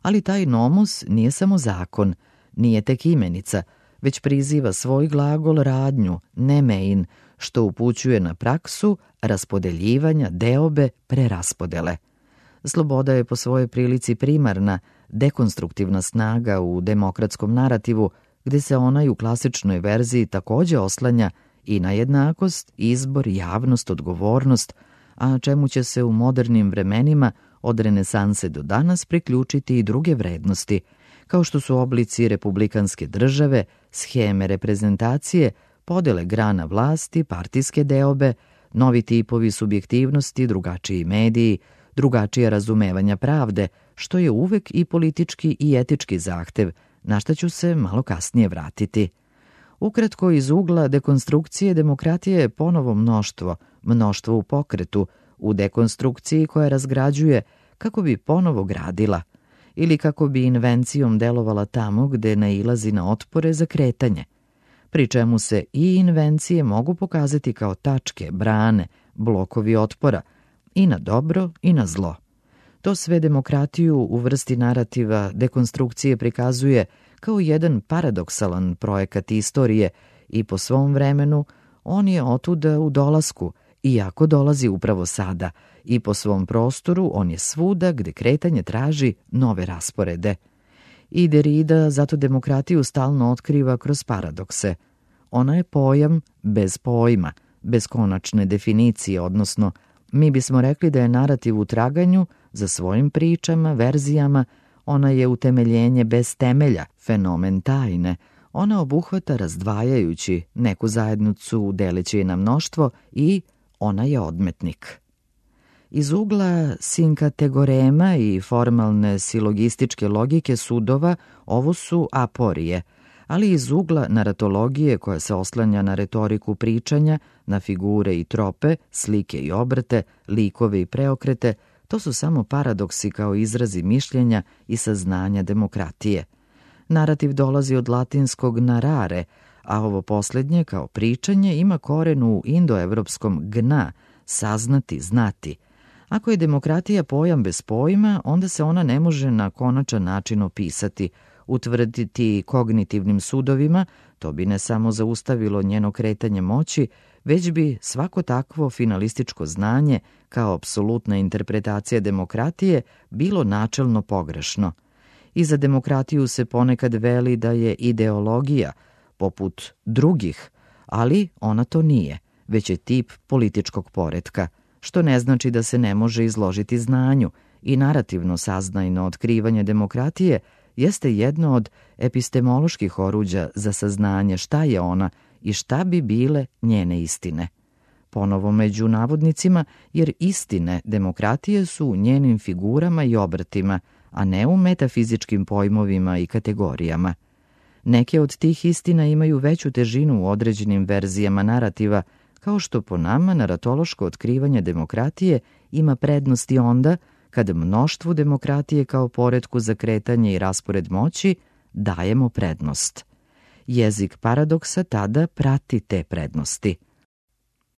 Ali taj nomus nije samo zakon, nije tek imenica, već priziva svoj glagol radnju, nemein, što upućuje na praksu raspodeljivanja deobe preraspodele. Sloboda je po svojoj prilici primarna, dekonstruktivna snaga u demokratskom narativu, gde se ona i u klasičnoj verziji takođe oslanja i na jednakost, izbor, javnost, odgovornost, a čemu će se u modernim vremenima od renesanse do danas priključiti i druge vrednosti, kao što su oblici republikanske države, sheme reprezentacije, podele grana vlasti, partijske deobe, novi tipovi subjektivnosti, drugačiji mediji, drugačije razumevanja pravde, što je uvek i politički i etički zahtev, na šta ću se malo kasnije vratiti. Ukratko, iz ugla dekonstrukcije demokratije je ponovo mnoštvo u pokretu, u dekonstrukciji koja razgrađuje kako bi ponovo gradila ili kako bi invencijom delovala tamo gde nailazi na otpore za kretanje, pri čemu se i invencije mogu pokazati kao tačke, brane, blokovi otpora i na dobro i na zlo. To sve demokratiju u vrsti narativa dekonstrukcije prikazuje kao jedan paradoksalan projekat istorije i po svom vremenu on je otuda u dolasku, iako dolazi upravo sada, i po svom prostoru on je svuda gde kretanje traži nove rasporede. I Derrida zato demokratiju stalno otkriva kroz paradokse. Ona je pojam bez pojma, bez konačne definicije, odnosno mi bismo rekli da je narativ u traganju za svojim pričama, verzijama, ona je utemeljenje bez temelja, fenomen tajne, ona obuhvata razdvajajući neku zajednicu deleći je na mnoštvo i ona je odmetnik. Iz ugla sinkategorema i formalne silogističke logike sudova ovo su aporije, ali iz ugla naratologije koja se oslanja na retoriku pričanja, na figure i trope, slike i obrte, likove i preokrete, to su samo paradoksi kao izrazi mišljenja i saznanja demokratije. Narativ dolazi od latinskog narare, a ovo poslednje kao pričanje ima koren u indoevropskom gna, saznati, znati. Ako je demokratija pojam bez pojma, onda se ona ne može na konačan način opisati, utvrditi kognitivnim sudovima, to bi ne samo zaustavilo njeno kretanje moći, već bi svako takvo finalističko znanje kao apsolutna interpretacija demokratije bilo načelno pogrešno. I za demokratiju se ponekad veli da je ideologija, poput drugih, ali ona to nije, već je tip političkog poretka, što ne znači da se ne može izložiti znanju i narativno saznajno otkrivanje demokratije jeste jedno od epistemoloških oruđa za saznanje šta je ona i šta bi bile njene istine. Ponovo među navodnicima, jer istine demokratije su u njenim figurama i obrtima, a ne u metafizičkim pojmovima i kategorijama. Neke od tih istina imaju veću težinu u određenim verzijama narativa, kao što po nama naratološko otkrivanje demokratije ima prednosti onda kad mnoštvu demokratije kao poretku za kretanje i raspored moći dajemo prednost. Jezik paradoksa tada prati te prednosti.